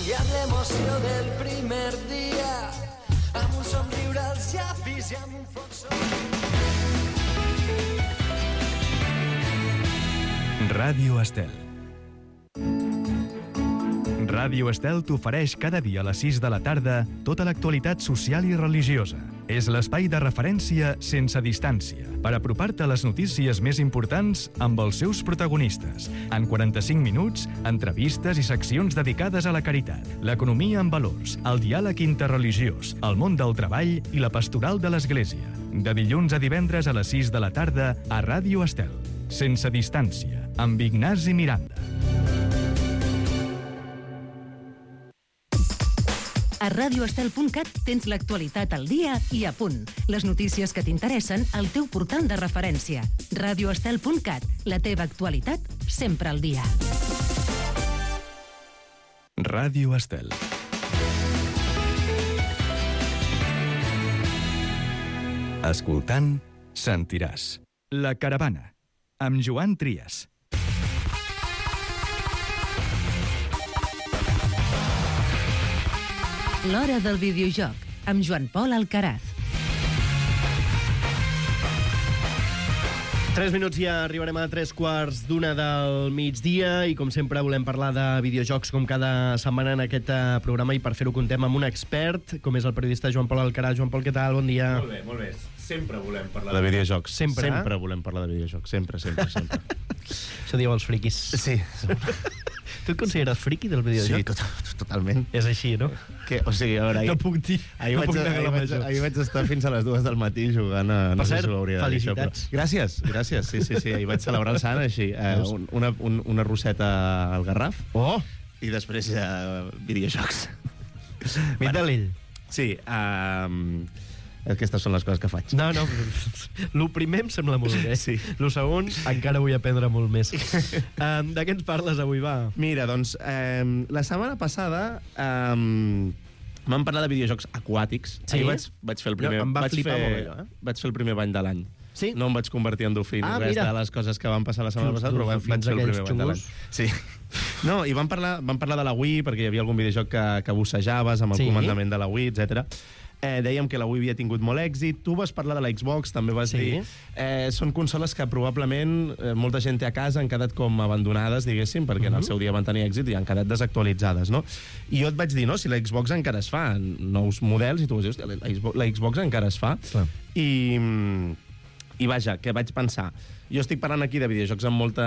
Speaker 4: i amb l'emoció del primer dia, amb un somriure als llavis i amb un foc sol.
Speaker 1: Ràdio Estel. Ràdio Estel t'ofereix cada dia a les sis de la tarda tota l'actualitat social i religiosa. És l'espai de referència sense distància per apropar-te a les notícies més importants amb els seus protagonistes. En quaranta-cinc minuts, entrevistes i seccions dedicades a la caritat, l'economia amb valors, el diàleg interreligiós, el món del treball i la pastoral de l'Església. De dilluns a divendres a les sis de la tarda a Ràdio Estel. Sense distància, amb Ignasi Miranda.
Speaker 5: A radio estel punt cat tens l'actualitat al dia i a punt. Les notícies que t'interessen al teu portal de referència. radio estel punt cat, la teva actualitat sempre al dia.
Speaker 1: Ràdio Estel. Escoltant, sentiràs. La Caravana, amb Joan Trias.
Speaker 5: L'Hora del videojoc, amb Joan Pol Alcaraz.
Speaker 2: Tres minuts i ja arribarem a tres quarts d'una del migdia i, com sempre, volem parlar de videojocs com cada setmana en aquest programa, i per fer-ho contem amb un expert, com és el periodista Joan Pol Alcaraz. Joan Pol, què tal? Bon dia.
Speaker 6: Molt bé, molt bé. Sempre volem parlar de videojocs.
Speaker 2: Sempre?
Speaker 6: Sempre volem parlar de videojocs. Sempre, sempre, sempre.
Speaker 2: Això diu els friquis.
Speaker 6: Sí.
Speaker 2: Tu et consideres friqui del videojoc?
Speaker 6: Sí, tot, totalment.
Speaker 2: És així, no?
Speaker 6: Que, o sigui, a veure... Ahir,
Speaker 2: No puc dir.
Speaker 6: Ahir,
Speaker 2: no
Speaker 6: vaig,
Speaker 2: puc negar
Speaker 6: ahir,
Speaker 2: la
Speaker 6: vaig,
Speaker 2: major.
Speaker 6: ahir vaig estar fins a les dues del matí jugant a...
Speaker 2: Per
Speaker 6: No sé
Speaker 2: cert,
Speaker 6: si ho hauria de dir, això,
Speaker 2: felicitats.
Speaker 6: però... Gràcies, gràcies. Sí, sí, sí. Ahir vaig celebrar el sant, així. Eh, un, una, un, una roseta al Garraf.
Speaker 2: Oh!
Speaker 6: I després eh, videojocs.
Speaker 2: Mira l'ell.
Speaker 6: Sí, um, aquestes són les coses que faig.
Speaker 2: No, no, lo primer em sembla molt bé.
Speaker 6: Sí.
Speaker 2: Lo segon, encara vull aprendre molt més. Um, de què ens parles avui, va?
Speaker 6: Mira, doncs, eh, la setmana passada eh, m'han parlat de videojocs aquàtics.
Speaker 2: Sí?
Speaker 6: Ahir vaig, vaig fer el primer...
Speaker 2: No, em va
Speaker 6: vaig
Speaker 2: flipar
Speaker 6: fer,
Speaker 2: molt allò, eh?
Speaker 6: Vaig fer el primer bany de l'any.
Speaker 2: Sí?
Speaker 6: No em vaig convertir en dofí ni
Speaker 2: Ah,
Speaker 6: res
Speaker 2: mira.
Speaker 6: de les coses que van passar la setmana
Speaker 2: Just,
Speaker 6: passada, però vam
Speaker 2: just,
Speaker 6: fer
Speaker 2: banys
Speaker 6: el primer
Speaker 2: aquells
Speaker 6: bany de l'any.
Speaker 2: xungos.
Speaker 6: Sí. No, i vam parlar, vam parlar de la Wii, perquè hi havia algun videojoc que, que bussejaves amb el
Speaker 2: Sí?
Speaker 6: comandament de la Wii, etcètera. Eh, dèiem que la Wii havia tingut molt èxit. Tu vas parlar de la Xbox, també vas
Speaker 2: Sí.
Speaker 6: dir... Eh, són consoles que probablement eh, molta gent té a casa, han quedat com abandonades, diguéssim, perquè en el seu dia van tenir èxit i han quedat desactualitzades, no? I jo et vaig dir, no, si la Xbox encara es fa, nous models, i tu vas dir, hòstia, la Xbox, la Xbox encara es fa.
Speaker 2: Clar.
Speaker 6: I... I vaja, què vaig pensar? Jo estic parlant aquí de videojocs amb molta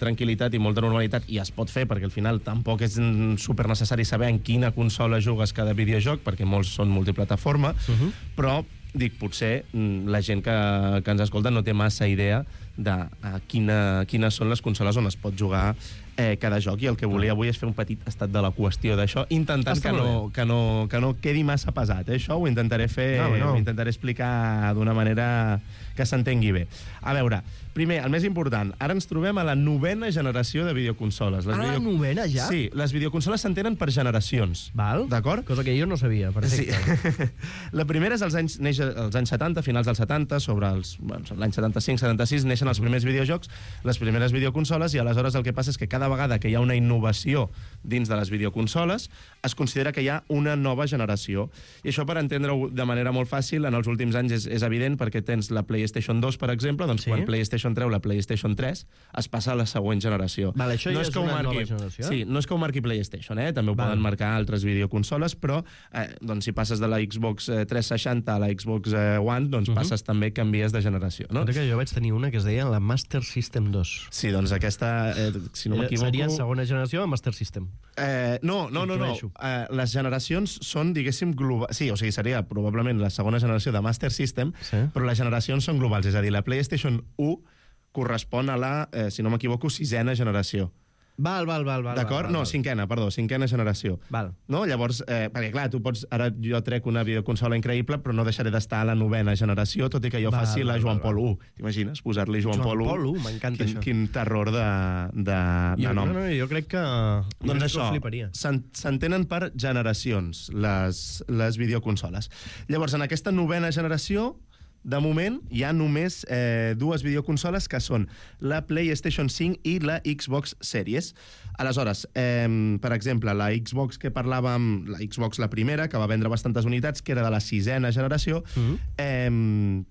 Speaker 6: tranquil·litat i molta normalitat, i es pot fer, perquè al final tampoc és mm, super necessari saber en quina consola jugues cada videojoc, perquè molts són multiplataforma, uh -huh. però dic, potser mm, la gent que, que ens escolta no té massa idea de a quina, quines són les consoles on es pot jugar eh, cada joc, i el que volia avui és fer un petit estat de la qüestió d'això, intentant
Speaker 2: Està
Speaker 6: que
Speaker 2: molt
Speaker 6: no, que, no, que no quedi massa pesat. Eh? Això ho intentaré fer,
Speaker 2: No, no.
Speaker 6: ho intentaré explicar d'una manera que s'entengui bé. A veure, primer, el més important, ara ens trobem a la novena generació de videoconsoles. Les
Speaker 2: Ah, la novena ja?
Speaker 6: Sí, les videoconsoles s'entenen per generacions.
Speaker 2: Val?
Speaker 6: D'acord?
Speaker 2: Cosa que jo no sabia, perfecte.
Speaker 6: Sí. La primera és als anys, neix als anys setanta, finals dels setanta, sobre els, bueno, l'any setanta-cinc setanta-sis, neixen els primers videojocs, les primeres videoconsoles, i aleshores el que passa és que cada vegada que hi ha una innovació dins de les videoconsoles, es considera que hi ha una nova generació. I això, per entendre-ho de manera molt fàcil, en els últims anys és, és evident, perquè tens la PlayStation dos, per exemple, doncs
Speaker 2: Sí.
Speaker 6: quan PlayStation treu la PlayStation tres, es passa a la següent generació.
Speaker 2: Val, això ja és
Speaker 6: que ho
Speaker 2: una
Speaker 6: marqui,
Speaker 2: nova generació?
Speaker 6: Sí, no és que ho marqui PlayStation, eh? També ho
Speaker 2: Val.
Speaker 6: poden marcar altres videoconsoles, però eh, doncs, si passes de la Xbox eh, tres seixanta a la Xbox eh, One, doncs uh -huh. passes també, canvies de generació, no?
Speaker 2: Compte que jo vaig tenir una que es deia la Master System dos.
Speaker 6: Sí, doncs aquesta, eh, si no
Speaker 2: Era-
Speaker 6: m'equivoco...
Speaker 2: Seria segona generació de Master System.
Speaker 6: Eh, no, no, no, no.
Speaker 2: Intueixo.
Speaker 6: Eh, les generacions són, diguéssim, globals. Sí, o sigui, seria probablement la segona generació de Master System,
Speaker 2: Sí.
Speaker 6: però les generacions són globals. És a dir, la PlayStation u correspon a la, eh, si no m'equivoco, sisena generació.
Speaker 2: Val, val, val. val
Speaker 6: D'acord?
Speaker 2: val,
Speaker 6: No,
Speaker 2: val.
Speaker 6: cinquena, perdó, cinquena generació.
Speaker 2: Val.
Speaker 6: No? Llavors, eh, perquè clar, tu pots... Ara jo trec una videoconsola increïble, però no deixaré d'estar a la novena generació, tot i que jo
Speaker 2: Val,
Speaker 6: faci la
Speaker 2: val,
Speaker 6: Joan
Speaker 2: val,
Speaker 6: Pol u. T'imagines? Posar-li Joan,
Speaker 2: Joan
Speaker 6: Pol u.
Speaker 2: Pol u, m'encanta
Speaker 6: quin,
Speaker 2: això.
Speaker 6: Quin terror de, de, de
Speaker 2: Jo,
Speaker 6: nom.
Speaker 2: no, no, jo crec que...
Speaker 6: Doncs
Speaker 2: jo crec que
Speaker 6: això,
Speaker 2: ho fliparia.
Speaker 6: s'en- s'entenen per generacions, les, les videoconsoles. Llavors, en aquesta novena generació, de moment, hi ha només eh, dues videoconsoles, que són la PlayStation cinc i la Xbox Series. Aleshores, eh, per exemple, la Xbox que parlàvem, la Xbox la primera, que va vendre bastantes unitats, que era de la sisena generació,
Speaker 2: Mhm.
Speaker 6: eh,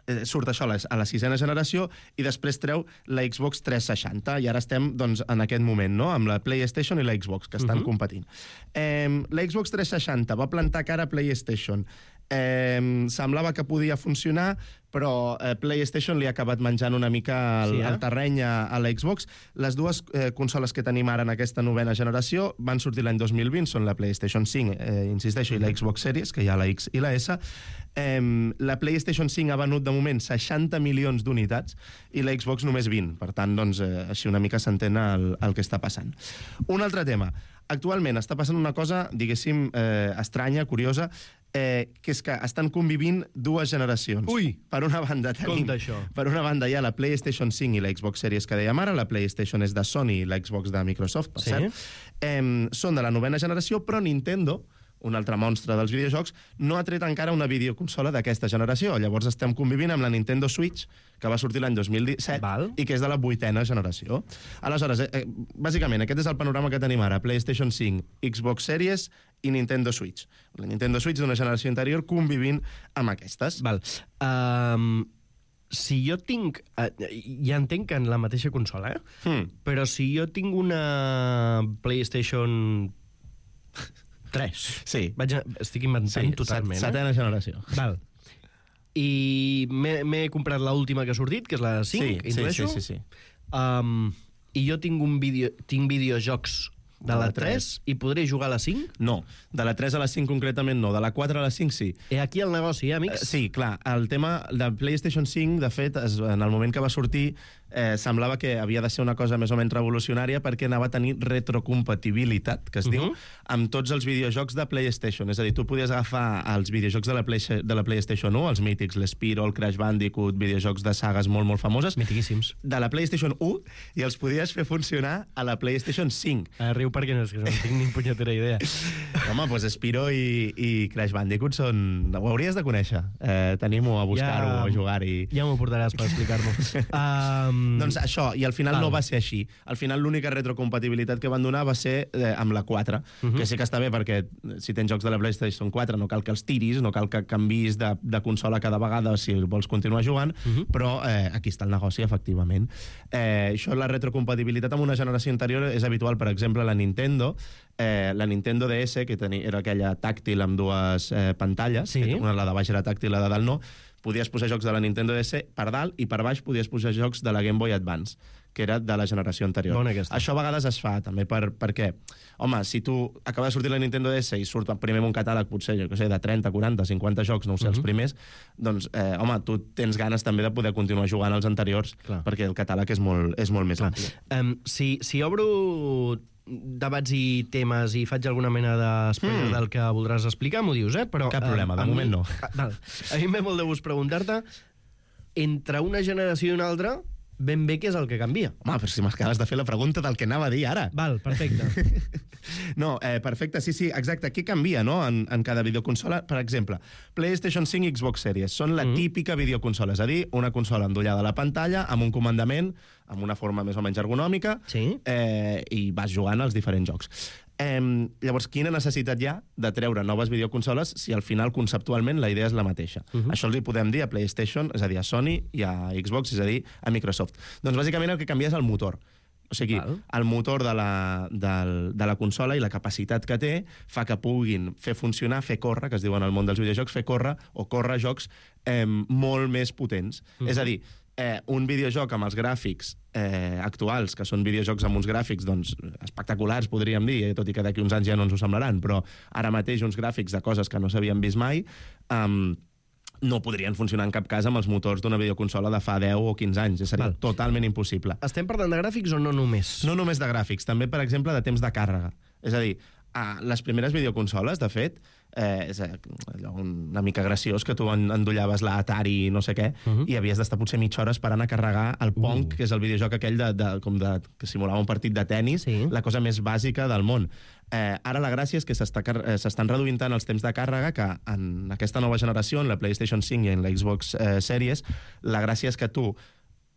Speaker 6: eh, surt això a la, a la sisena generació, i després treu la Xbox tres seixanta, i ara estem doncs, en aquest moment, no?, amb la PlayStation i la Xbox, que estan
Speaker 2: Mhm.
Speaker 6: competint. Eh, la Xbox tres seixanta va plantar cara a PlayStation. Eh, semblava que podia funcionar, però eh, PlayStation li ha acabat menjant una mica el,
Speaker 2: Sí, eh?
Speaker 6: el terreny a, a la Xbox. Les dues eh, consoles que tenim ara en aquesta novena generació van sortir l'any dos mil vint, són la PlayStation cinc, eh, insisteixo, i la Xbox Series, que hi ha la X i la S. Eh, la PlayStation cinc ha venut de moment seixanta milions d'unitats i la Xbox només vint. Per tant, doncs, eh, així una mica s'entén el, el que està passant. Un altre tema. Actualment està passant una cosa, diguéssim, eh, estranya, curiosa, eh, que és que estan convivint dues generacions.
Speaker 2: Ui!
Speaker 6: Per una banda tenim...
Speaker 2: Compte, això.
Speaker 6: Per una banda hi ha la PlayStation cinc i la Xbox Series que dèiem ara, la PlayStation és de Sony i la Xbox de Microsoft, per
Speaker 2: Sí.
Speaker 6: cert. Eh, són de la novena generació, però Nintendo un altre monstre dels videojocs, no ha tret encara una videoconsola d'aquesta generació. Llavors estem convivint amb la Nintendo Switch, que va sortir l'any dos mil disset,
Speaker 2: Val.
Speaker 6: i que és de la vuitena generació. Aleshores, eh, bàsicament, aquest és el panorama que tenim ara. PlayStation cinc, Xbox Series i Nintendo Switch. La Nintendo Switch d'una generació anterior convivint amb aquestes.
Speaker 2: Val. Um, si jo tinc... Uh, ja entenc que en la mateixa consola, eh?
Speaker 6: Hmm.
Speaker 2: Però si jo tinc una PlayStation tres...
Speaker 6: Sí.
Speaker 2: Vaig a, estic inventant
Speaker 6: Sí,
Speaker 2: totalment,
Speaker 6: set- setena generació.
Speaker 2: eh? Val. I m'he m'he comprat l'última que ha sortit, que és la cinc,
Speaker 6: Sí, sí,
Speaker 2: intueixo.
Speaker 6: sí, sí, sí.
Speaker 2: Um, I jo tinc, un vídeo, tinc videojocs de la tres i podré jugar a la cinc?
Speaker 6: No, de la tres a la cinc concretament no, de la quatre a la cinc sí.
Speaker 2: I aquí el negoci, eh, amics?
Speaker 6: Eh, Sí, clar, el tema de PlayStation cinc, de fet, es, en el moment que va sortir, eh, semblava que havia de ser una cosa més o menys revolucionària perquè anava a tenir retrocompatibilitat, que es uh -huh. diu, amb tots els videojocs de PlayStation. És a dir, tu podies agafar els videojocs de la, Play, de la PlayStation u, els mítics, l'Spyro, el Crash Bandicoot, videojocs de sagues molt, molt famoses,
Speaker 2: Mitiquíssims.
Speaker 6: de la PlayStation u, i els podies fer funcionar a la PlayStation cinc.
Speaker 2: Eh, riu perquè no, és que no tinc ni punyetera idea.
Speaker 6: Home, doncs Spyro i, i Crash Bandicoot són... Ho hauries de conèixer. Eh, Tenim-ho a buscar-ho,
Speaker 2: Ja-
Speaker 6: a jugar-hi.
Speaker 2: Ja m'ho portaràs per explicar-m'ho. um,
Speaker 6: Doncs això, i al final
Speaker 2: Val.
Speaker 6: no va ser així. Al final l'única retrocompatibilitat que van donar va ser eh, amb la quatre, uh -huh. que sí que està bé perquè si tens jocs de la PlayStation quatre no cal que els tiris, no cal que canvis de, de consola cada vegada si vols continuar jugant, uh -huh. però eh, aquí està el negoci, efectivament. Eh, això, la retrocompatibilitat amb una generació anterior és habitual, per exemple, la Nintendo, eh, la Nintendo D S, que tenia, era aquella tàctil amb dues eh, pantalles,
Speaker 2: Sí.
Speaker 6: que una la de baix era tàctil, la de dalt no, podies posar jocs de la Nintendo D S per dalt i per baix podies posar jocs de la Game Boy Advance, que era de la generació anterior.
Speaker 2: Bona aquesta.
Speaker 6: Això a vegades es fa també per, perquè, home, si tu acaba de sortir la Nintendo D S i surt primer un catàleg, potser, jo què sé, de trenta, quaranta, cinquanta jocs, no ho sé, uh -huh. els primers, doncs, eh, home, tu tens ganes també de poder continuar jugant als anteriors,
Speaker 2: Clar.
Speaker 6: perquè el catàleg és molt, és molt més ampli.
Speaker 2: um, si, si obro debats i temes i faig alguna mena de spoiler
Speaker 6: Mm.
Speaker 2: del que voldràs explicar, m'ho dius, eh? Però,
Speaker 6: Cap problema, de
Speaker 2: a mi-
Speaker 6: moment no.
Speaker 2: Ah, val. A mi em ve molt de gust preguntar-te, entre una generació i una altra, ben bé què és el que canvia.
Speaker 6: Home, però si m'acabes de fer la pregunta del que anava a dir ara.
Speaker 2: Val, perfecte.
Speaker 6: No, eh, perfecte, sí, sí, exacte. Què canvia, no?, en, en cada videoconsola? Per exemple, PlayStation cinc i Xbox Series són la
Speaker 2: Mm.
Speaker 6: típica videoconsola, és a dir, una consola endollada a la pantalla, amb un comandament, amb una forma més o menys ergonòmica,
Speaker 2: Sí.
Speaker 6: eh, i vas jugant als diferents jocs. Eh, llavors, quina necessitat hi ha de treure noves videoconsoles si al final, conceptualment, la idea és la mateixa?
Speaker 2: Uh -huh.
Speaker 6: Això els hi podem dir a PlayStation, és a dir, a Sony, i a Xbox, és a dir, a Microsoft. Doncs, bàsicament, el que canvia és el motor. O sigui,
Speaker 2: Val.
Speaker 6: el motor de la, del, de la consola i la capacitat que té fa que puguin fer funcionar, fer córrer, que es diu en el món dels videojocs, fer córrer o córrer jocs eh, molt més potents. Uh -huh. És a dir, eh, un videojoc amb els gràfics eh, actuals, que són videojocs amb uns gràfics doncs, espectaculars, podríem dir, eh, tot i que d'aquí uns anys ja no ens ho semblaran, però ara mateix uns gràfics de coses que no s'havien vist mai, eh, no podrien funcionar en cap cas amb els motors d'una videoconsola de fa deu o quinze anys. Seria
Speaker 2: Val.
Speaker 6: totalment impossible.
Speaker 2: Estem parlant de gràfics o no només?
Speaker 6: No només de gràfics, també, per exemple, de temps de càrrega. És a dir, a les primeres videoconsoles, de fet, eh, és allò una mica graciós que tu en- endollaves l'Atari i no sé què, uh -huh. i havies d'estar potser mitja hora esperant a carregar el Pong, uh. que és el videojoc aquell de, de, com de, que simulava un partit de tennis,
Speaker 2: Sí.
Speaker 6: la cosa més bàsica del món. Eh, ara la gràcia és que s'està car- eh, s'estan reduint tant els temps de càrrega que en aquesta nova generació, en la PlayStation cinc i en la Xbox eh, Series, la gràcia és que tu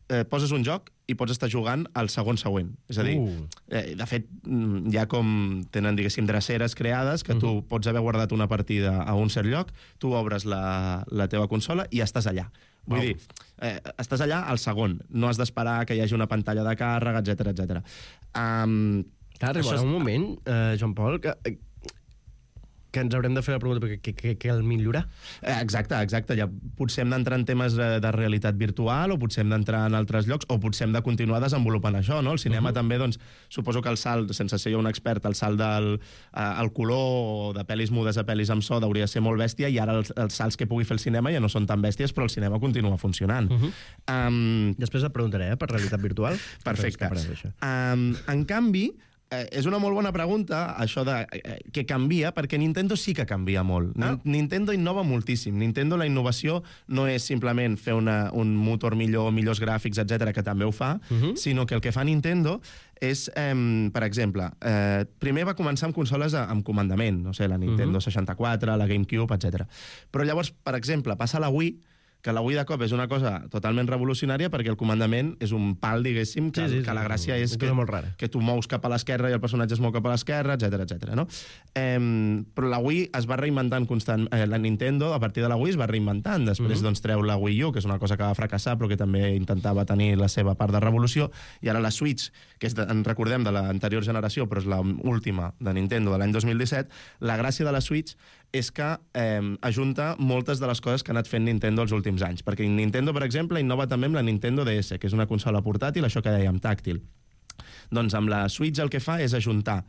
Speaker 6: eh, poses un joc i pots estar jugant al segon següent. És a dir,
Speaker 2: Uh.
Speaker 6: eh, de fet, mm, hi ha com tenen, diguéssim, dreceres creades que tu uh -huh. pots haver guardat una partida a un cert lloc, tu obres la, la teva consola i estàs allà. Vull
Speaker 2: Wow.
Speaker 6: dir, eh, estàs allà al segon. No has d'esperar que hi hagi una pantalla de càrrega, etcètera, etcètera. Um,
Speaker 2: Clar, arribarà un moment, eh, Joan Pol, que, que ens haurem de fer la pregunta perquè què, què, què el millorar?
Speaker 6: Eh, Exacte, exacte. Ja potser hem d'entrar en temes de, de realitat virtual o potser hem d'entrar en altres llocs o potser hem de continuar desenvolupant això, no? El cinema uh -huh. també, doncs, suposo que el salt, sense ser jo un expert, el salt del eh, el color o de pel·lis mudes a pel·lis amb so hauria de ser molt bèstia i ara els, els salts que pugui fer el cinema ja no són tan bèsties, però el cinema continua funcionant. Uh -huh. um,
Speaker 2: Després et preguntaré, eh, per realitat virtual.
Speaker 6: Perfecte.
Speaker 2: Després,
Speaker 6: Um, en canvi, eh, és una molt bona pregunta, això de eh, què canvia, perquè Nintendo sí que canvia molt.
Speaker 2: Ah.
Speaker 6: Nintendo innova moltíssim. Nintendo, la innovació no és simplement fer una, un motor millor, millors gràfics, etcètera, que també ho fa, uh -huh. sinó que el que fa Nintendo és, eh, per exemple, eh, primer va començar amb consoles a, amb comandament, no sé, la Nintendo uh -huh. seixanta-quatre, la GameCube, etcètera. Però llavors, per exemple, passa a la Wii, que la Wii de cop és una cosa totalment revolucionària perquè el comandament és un pal, diguéssim, que, sí, sí, que la gràcia és que, que tu mous cap a l'esquerra i el personatge es mou cap a l'esquerra, etcètera, etcètera, no? Eh, però la Wii es va reinventant constant. Eh, la Nintendo, a partir de la Wii, es va reinventant. Després, uh-huh. doncs, treu la Wii U, que és una cosa que va fracassar, però que també intentava tenir la seva part de revolució, i ara la Switch, que és de, en recordem de l'anterior generació, però és l'última de Nintendo de l'any dos mil disset, la gràcia de la Switch és que eh, ajunta moltes de les coses que ha anat fent Nintendo els últims anys. Perquè Nintendo, per exemple, innova també amb la Nintendo D S, que és una consola portàtil, això que dèiem, tàctil. Doncs amb la Switch el que fa és ajuntar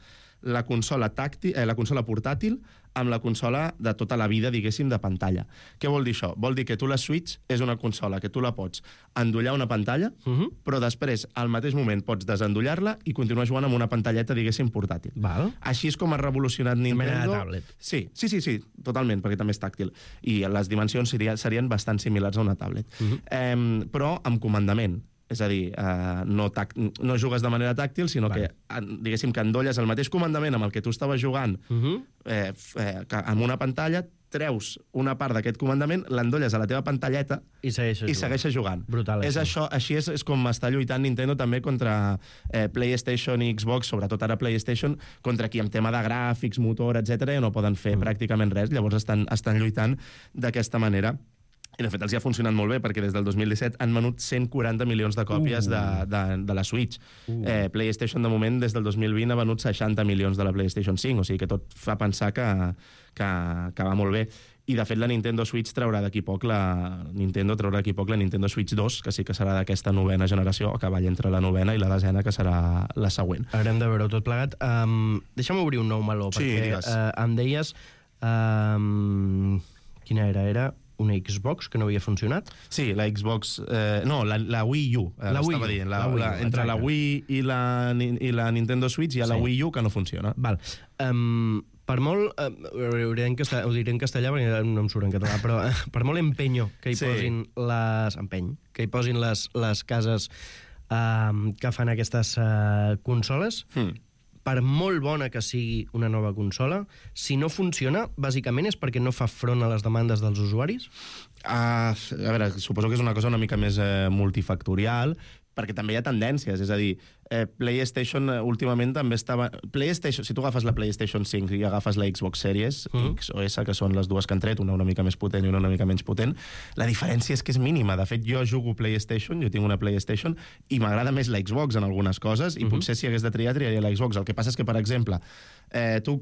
Speaker 6: la consola, tàctil, eh, la consola portàtil amb la consola de tota la vida, diguéssim, de pantalla. Què vol dir això? Vol dir que tu la Switch és una consola que tu la pots endollar una pantalla, uh-huh. però després, al mateix moment, pots desendollar-la i continuar jugant amb una pantalleta, diguéssim, portàtil.
Speaker 2: Val.
Speaker 6: Així és com ha revolucionat Nintendo.
Speaker 2: Una mena de tablet.
Speaker 6: Sí, sí, sí, sí, totalment, perquè també és tàctil. I les dimensions serien, serien bastant similars a una tablet. Uh-huh. eh, però amb comandament. És a dir, eh, no, tac, no jugues de manera tàctil, sinó vale. que, diguéssim, que endolles el mateix comandament amb el que tu estaves jugant uh-huh. eh, eh, amb una pantalla, treus una part d'aquest comandament, l'endolles a la teva pantalleta
Speaker 2: i segueixes
Speaker 6: i
Speaker 2: jugant.
Speaker 6: Segueixes jugant.
Speaker 2: Brutal,
Speaker 6: és això. Així és, és com està lluitant Nintendo també contra eh, PlayStation i Xbox, sobretot ara PlayStation, contra qui amb tema de gràfics, motor, etcètera, ja no poden fer uh-huh. pràcticament res, llavors estan, estan lluitant d'aquesta manera. I, de fet, els hi ha funcionat molt bé, perquè des del dos mil disset han venut cent quaranta milions de còpies uh. de, de, de la Switch. Uh. Eh, PlayStation, de moment, des del dos mil vint ha venut seixanta milions de la PlayStation cinc, o sigui que tot fa pensar que, que, que va molt bé. I, de fet, la Nintendo Switch traurà d'aquí poc la... Nintendo traurà d'aquí poc la Nintendo Switch dos, que sí que serà d'aquesta novena generació, a cavall entre la novena i la desena, que serà la següent.
Speaker 2: Haurem de veure-ho tot plegat. Um, deixa'm obrir un nou meló,
Speaker 6: sí,
Speaker 2: perquè uh, em deies... Um, quina era? Era... una Xbox que no havia funcionat?
Speaker 6: Sí, la Xbox... Eh, no, la, la Wii U, eh,
Speaker 2: la Wii U,
Speaker 6: dient. La,
Speaker 2: la Wii U,
Speaker 6: la, entre
Speaker 2: exacte.
Speaker 6: la Wii i la, i la Nintendo Switch hi ha sí. la Wii U que no funciona.
Speaker 2: Val. Um, per molt... Uh, ho, diré en castellà, ho diré en castellà perquè no em surt en català, però uh, per molt empenyo que hi
Speaker 6: sí.
Speaker 2: posin les... Empeny. Que hi posin les, les cases uh, que fan aquestes uh, consoles... Hmm. Per molt bona que sigui una nova consola, si no funciona, bàsicament és perquè no fa front a les demandes dels usuaris?
Speaker 6: Uh, a veure, suposo que és una cosa una mica més eh, multifactorial, perquè també hi ha tendències, és a dir, eh, PlayStation eh, últimament també estava... PlayStation, si tu agafes la PlayStation cinc i agafes la Xbox Series uh-huh. X o S, que són les dues que han tret, una una mica més potent i una una mica menys potent, la diferència és que és mínima. De fet, jo jugo PlayStation, jo tinc una PlayStation, i m'agrada més la Xbox en algunes coses, i uh-huh. potser si hagués de triar, triaria la Xbox. El que passa és que, per exemple, eh, tu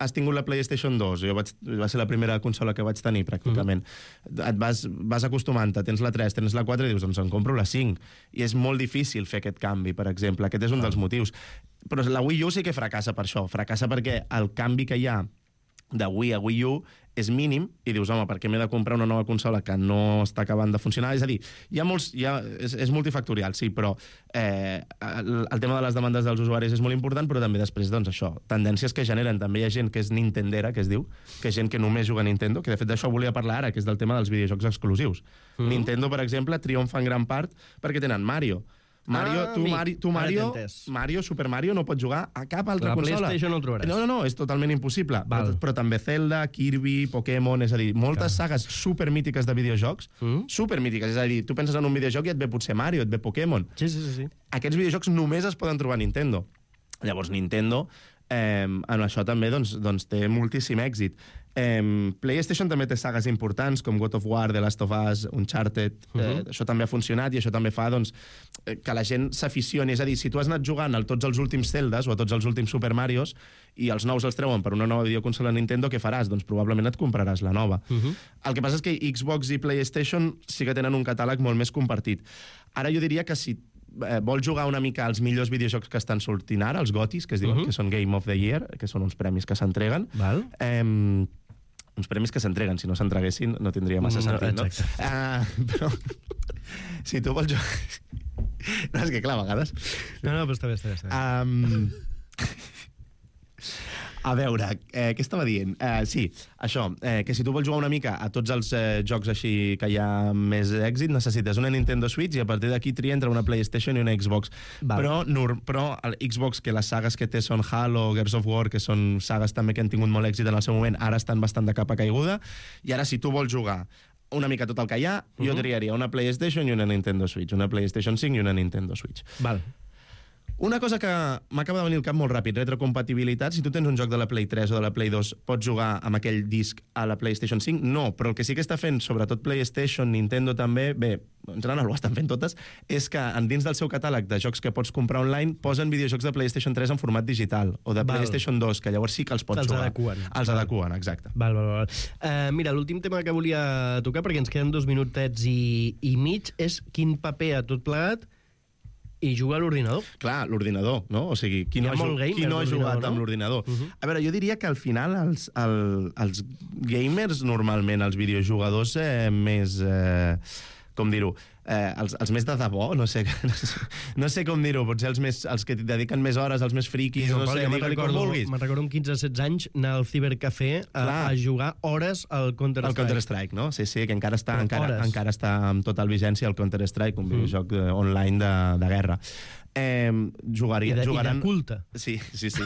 Speaker 6: has tingut la PlayStation dos, jo vaig, va ser la primera consola que vaig tenir, pràcticament. Uh-huh. Et vas, vas acostumant-te, tens la tres, tens la quatre, i dius, doncs em compro la cinc. I és molt difícil fer aquest canvi, per exemple. Aquest és un dels motius. Però la Wii U sí que fracassa per això. Fracassa perquè el canvi que hi ha de Wii a Wii U és mínim, i dius, home, per què m'he de comprar una nova consola que no està acabant de funcionar? És a dir, hi ha molts... Hi ha, és, és multifactorial, sí, però eh, el, el tema de les demandes dels usuaris és molt important, però també després, doncs, això, tendències que generen. També hi ha gent que és nintendera, que es diu, que és gent que només juga a Nintendo, que de fet d'això volia parlar ara, que és del tema dels videojocs exclusius. Mm. Nintendo, per exemple, triomfa en gran part perquè tenen Mario. Mario,
Speaker 2: ah,
Speaker 6: tu, Mari, tu Mario, Mario, Super Mario, no pots jugar a cap altra
Speaker 2: la
Speaker 6: consola.
Speaker 2: La PlayStation no el trobaràs.
Speaker 6: No, no, no, és totalment impossible. Però, però també Zelda, Kirby, Pokémon, és a dir, moltes Clar. sagues supermítiques de videojocs, mm. supermítiques, és a dir, tu penses en un videojoc i et ve potser Mario, et ve Pokémon.
Speaker 2: Sí, sí, sí, sí.
Speaker 6: Aquests videojocs només es poden trobar a Nintendo. Llavors, Nintendo, eh, en això també doncs, doncs, té moltíssim èxit. Eh, PlayStation també té sagues importants com God of War, The Last of Us, Uncharted. Uh-huh. eh, això també ha funcionat i això també fa doncs, que la gent s'aficioni. És a dir, si tu has anat jugant a tots els últims Zeldas o a tots els últims Super Marios i els nous els treuen per una nova videoconsola Nintendo, què faràs? Doncs probablement et compraràs la nova. Uh-huh. El que passa és que Xbox i PlayStation sí que tenen un catàleg molt més compartit. Ara jo diria que si eh, vols jugar una mica als millors videojocs que estan sortint ara, els GOTYs, que es diuen, uh-huh. que són Game of the Year, que són uns premis que s'entreguen,
Speaker 2: Val.
Speaker 6: eh, uns premis que s'entreguen, si no s'entreguessin no tindria massa no, sentit, no? Uh, però si tu vols jugar... No, és que clar, a vegades...
Speaker 2: No, no, però està bé, està bé. Està bé.
Speaker 6: Um... A veure, eh, què estava dient? Eh, sí, això, eh, que si tu vols jugar una mica a tots els eh, jocs així que hi ha més èxit, necessites una Nintendo Switch i a partir d'aquí tria entre una PlayStation i una Xbox.
Speaker 2: Val.
Speaker 6: Però, nur, però el Xbox, que les sagues que té són Halo, Gears of War, que són sagues també que han tingut molt èxit en el seu moment, ara estan bastant de capa caiguda, i ara si tu vols jugar una mica tot el que hi ha, uh -huh. jo triaria una PlayStation i una Nintendo Switch, una PlayStation cinc i una Nintendo Switch.
Speaker 2: Val.
Speaker 6: Una cosa que m'acaba de venir al cap molt ràpid, retrocompatibilitat. Si tu tens un joc de la Play tres o de la Play dos, pots jugar amb aquell disc a la PlayStation cinc? No, però el que sí que està fent, sobretot PlayStation, Nintendo també, bé, en general ho estan fent totes, és que dins del seu catàleg de jocs que pots comprar online posen videojocs de PlayStation tres en format digital, o de
Speaker 2: Val.
Speaker 6: PlayStation dos, que llavors sí que els pots
Speaker 2: Els
Speaker 6: jugar.
Speaker 2: adeqüen.
Speaker 6: Els adeqüen, exacte.
Speaker 2: Val, val, val. Uh, mira, l'últim tema que volia tocar, perquè ens queden dos minutets i, i mig, és quin paper a tot plegat i jugar a l'ordinador.
Speaker 6: Clar, l'ordinador, no? O sigui, qui
Speaker 2: Hi
Speaker 6: no
Speaker 2: ha
Speaker 6: ha,
Speaker 2: molt gamer
Speaker 6: qui no ha
Speaker 2: d'ordinador,
Speaker 6: jugat
Speaker 2: no?
Speaker 6: amb l'ordinador?
Speaker 2: Uh -huh.
Speaker 6: A veure, jo diria que al final els, el, els gamers, normalment, els videojugadors eh, més... Eh, com dir-ho, eh, els, els més de debò, no sé, no sé, no sé com dir-ho, potser els, més, els que dediquen més hores, els més friquis, no sé,
Speaker 2: jo me'n
Speaker 6: digue-li com
Speaker 2: recordo,
Speaker 6: vulguis.
Speaker 2: me'n recordo amb quinze setze anys anar al cibercafè a, a jugar hores al Counter-Strike.
Speaker 6: El Counter-Strike, no? Sí, sí, que encara està,
Speaker 2: Però
Speaker 6: encara,
Speaker 2: hores.
Speaker 6: encara està amb total vigència el Counter-Strike, un videojoc mm. online de, de guerra. Eh, jugaria,
Speaker 2: I de,
Speaker 6: jugaran...
Speaker 2: I de culte.
Speaker 6: Sí, sí, sí.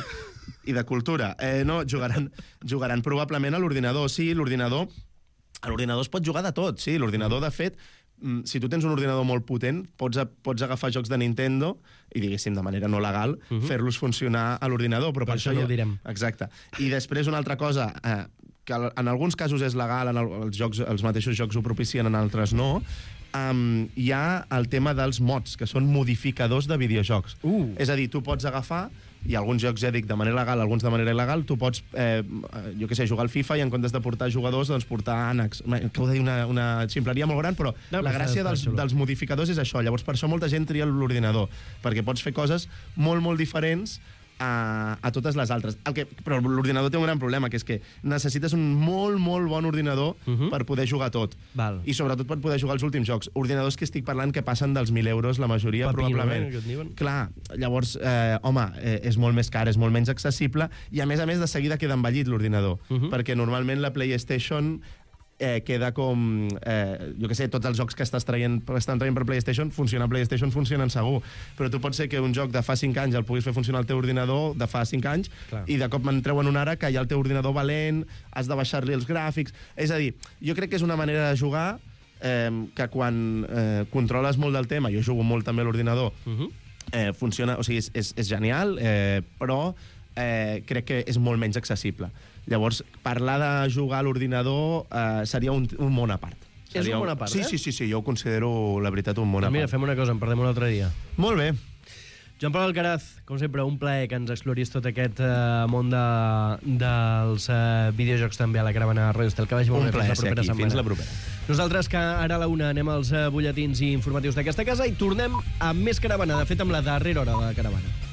Speaker 6: I de cultura. Eh, no, jugaran, jugaran probablement a l'ordinador. Sí, l'ordinador... A l'ordinador es pot jugar de tot, sí. L'ordinador, de fet, si tu tens un ordinador molt potent, pots, a, pots agafar jocs de Nintendo i, diguéssim, de manera no legal, uh -huh. fer-los funcionar a l'ordinador. Però per,
Speaker 2: per això no
Speaker 6: ja...
Speaker 2: ho direm.
Speaker 6: Exacte. I després una altra cosa... Eh, que en alguns casos és legal, en el, els, jocs, els mateixos jocs ho propicien, en altres no, um, hi ha el tema dels mods, que són modificadors de videojocs.
Speaker 2: Uh.
Speaker 6: És a dir, tu pots agafar, i alguns jocs, ja dic, de manera legal, alguns de manera il·legal, tu pots, eh, jo què sé, jugar al FIFA i en comptes de portar jugadors, doncs portar ànecs. Acabo de dir una, una ximpleria molt gran, però
Speaker 2: no,
Speaker 6: la gràcia dels, dels modificadors és això. Llavors, per això molta gent tria l'ordinador, perquè pots fer coses molt, molt diferents a, a totes les altres. El que, però l'ordinador té un gran problema, que és que necessites un molt, molt bon ordinador uh -huh. per poder jugar tot.
Speaker 2: Val.
Speaker 6: I sobretot per poder jugar els últims jocs. Ordinadors que estic parlant que passen dels mil euros, la majoria,
Speaker 2: Papino,
Speaker 6: probablement.
Speaker 2: eh, que et diuen.
Speaker 6: Clar, llavors, eh, home, eh, és molt més car, és molt menys accessible, i a més a més de seguida queda envellit l'ordinador, uh -huh. perquè normalment la PlayStation... Eh, queda com, eh, jo què sé, tots els jocs que estàs traient, estan traient per PlayStation, funciona a PlayStation, funcionen segur. Però tu pot ser que un joc de fa cinc anys el puguis fer funcionar al teu ordinador de fa cinc anys, clar. I de cop me'n treuen un ara que hi ha el teu ordinador valent, has de baixar-li els gràfics... És a dir, jo crec que és una manera de jugar eh, que quan eh, controles molt del tema, jo jugo molt també a l'ordinador, uh -huh. eh, funciona, o sigui, és, és, és genial, eh, però eh, crec que és molt menys accessible. Llavors, parlar de jugar a l'ordinador eh, seria un, un món a part. Seria
Speaker 2: És un món a part,
Speaker 6: sí,
Speaker 2: eh?
Speaker 6: Sí, sí, sí, jo ho considero, la veritat, un món a part.
Speaker 2: Mira, fem una cosa, en parlem un altre dia.
Speaker 6: Molt bé.
Speaker 2: Joan Pol Alcaraz, com sempre, un plaer que ens exploris tot aquest uh, món de, dels uh, videojocs també a la caravana de Ràdio Estel. Que vagi molt
Speaker 6: un
Speaker 2: bé, fins la
Speaker 6: plaer
Speaker 2: propera
Speaker 6: ser aquí.
Speaker 2: setmana.
Speaker 6: Fins la propera.
Speaker 2: Nosaltres, que ara a la una anem als uh, butlletins i informatius d'aquesta casa i tornem amb més caravana, de fet, amb la darrera hora de la caravana.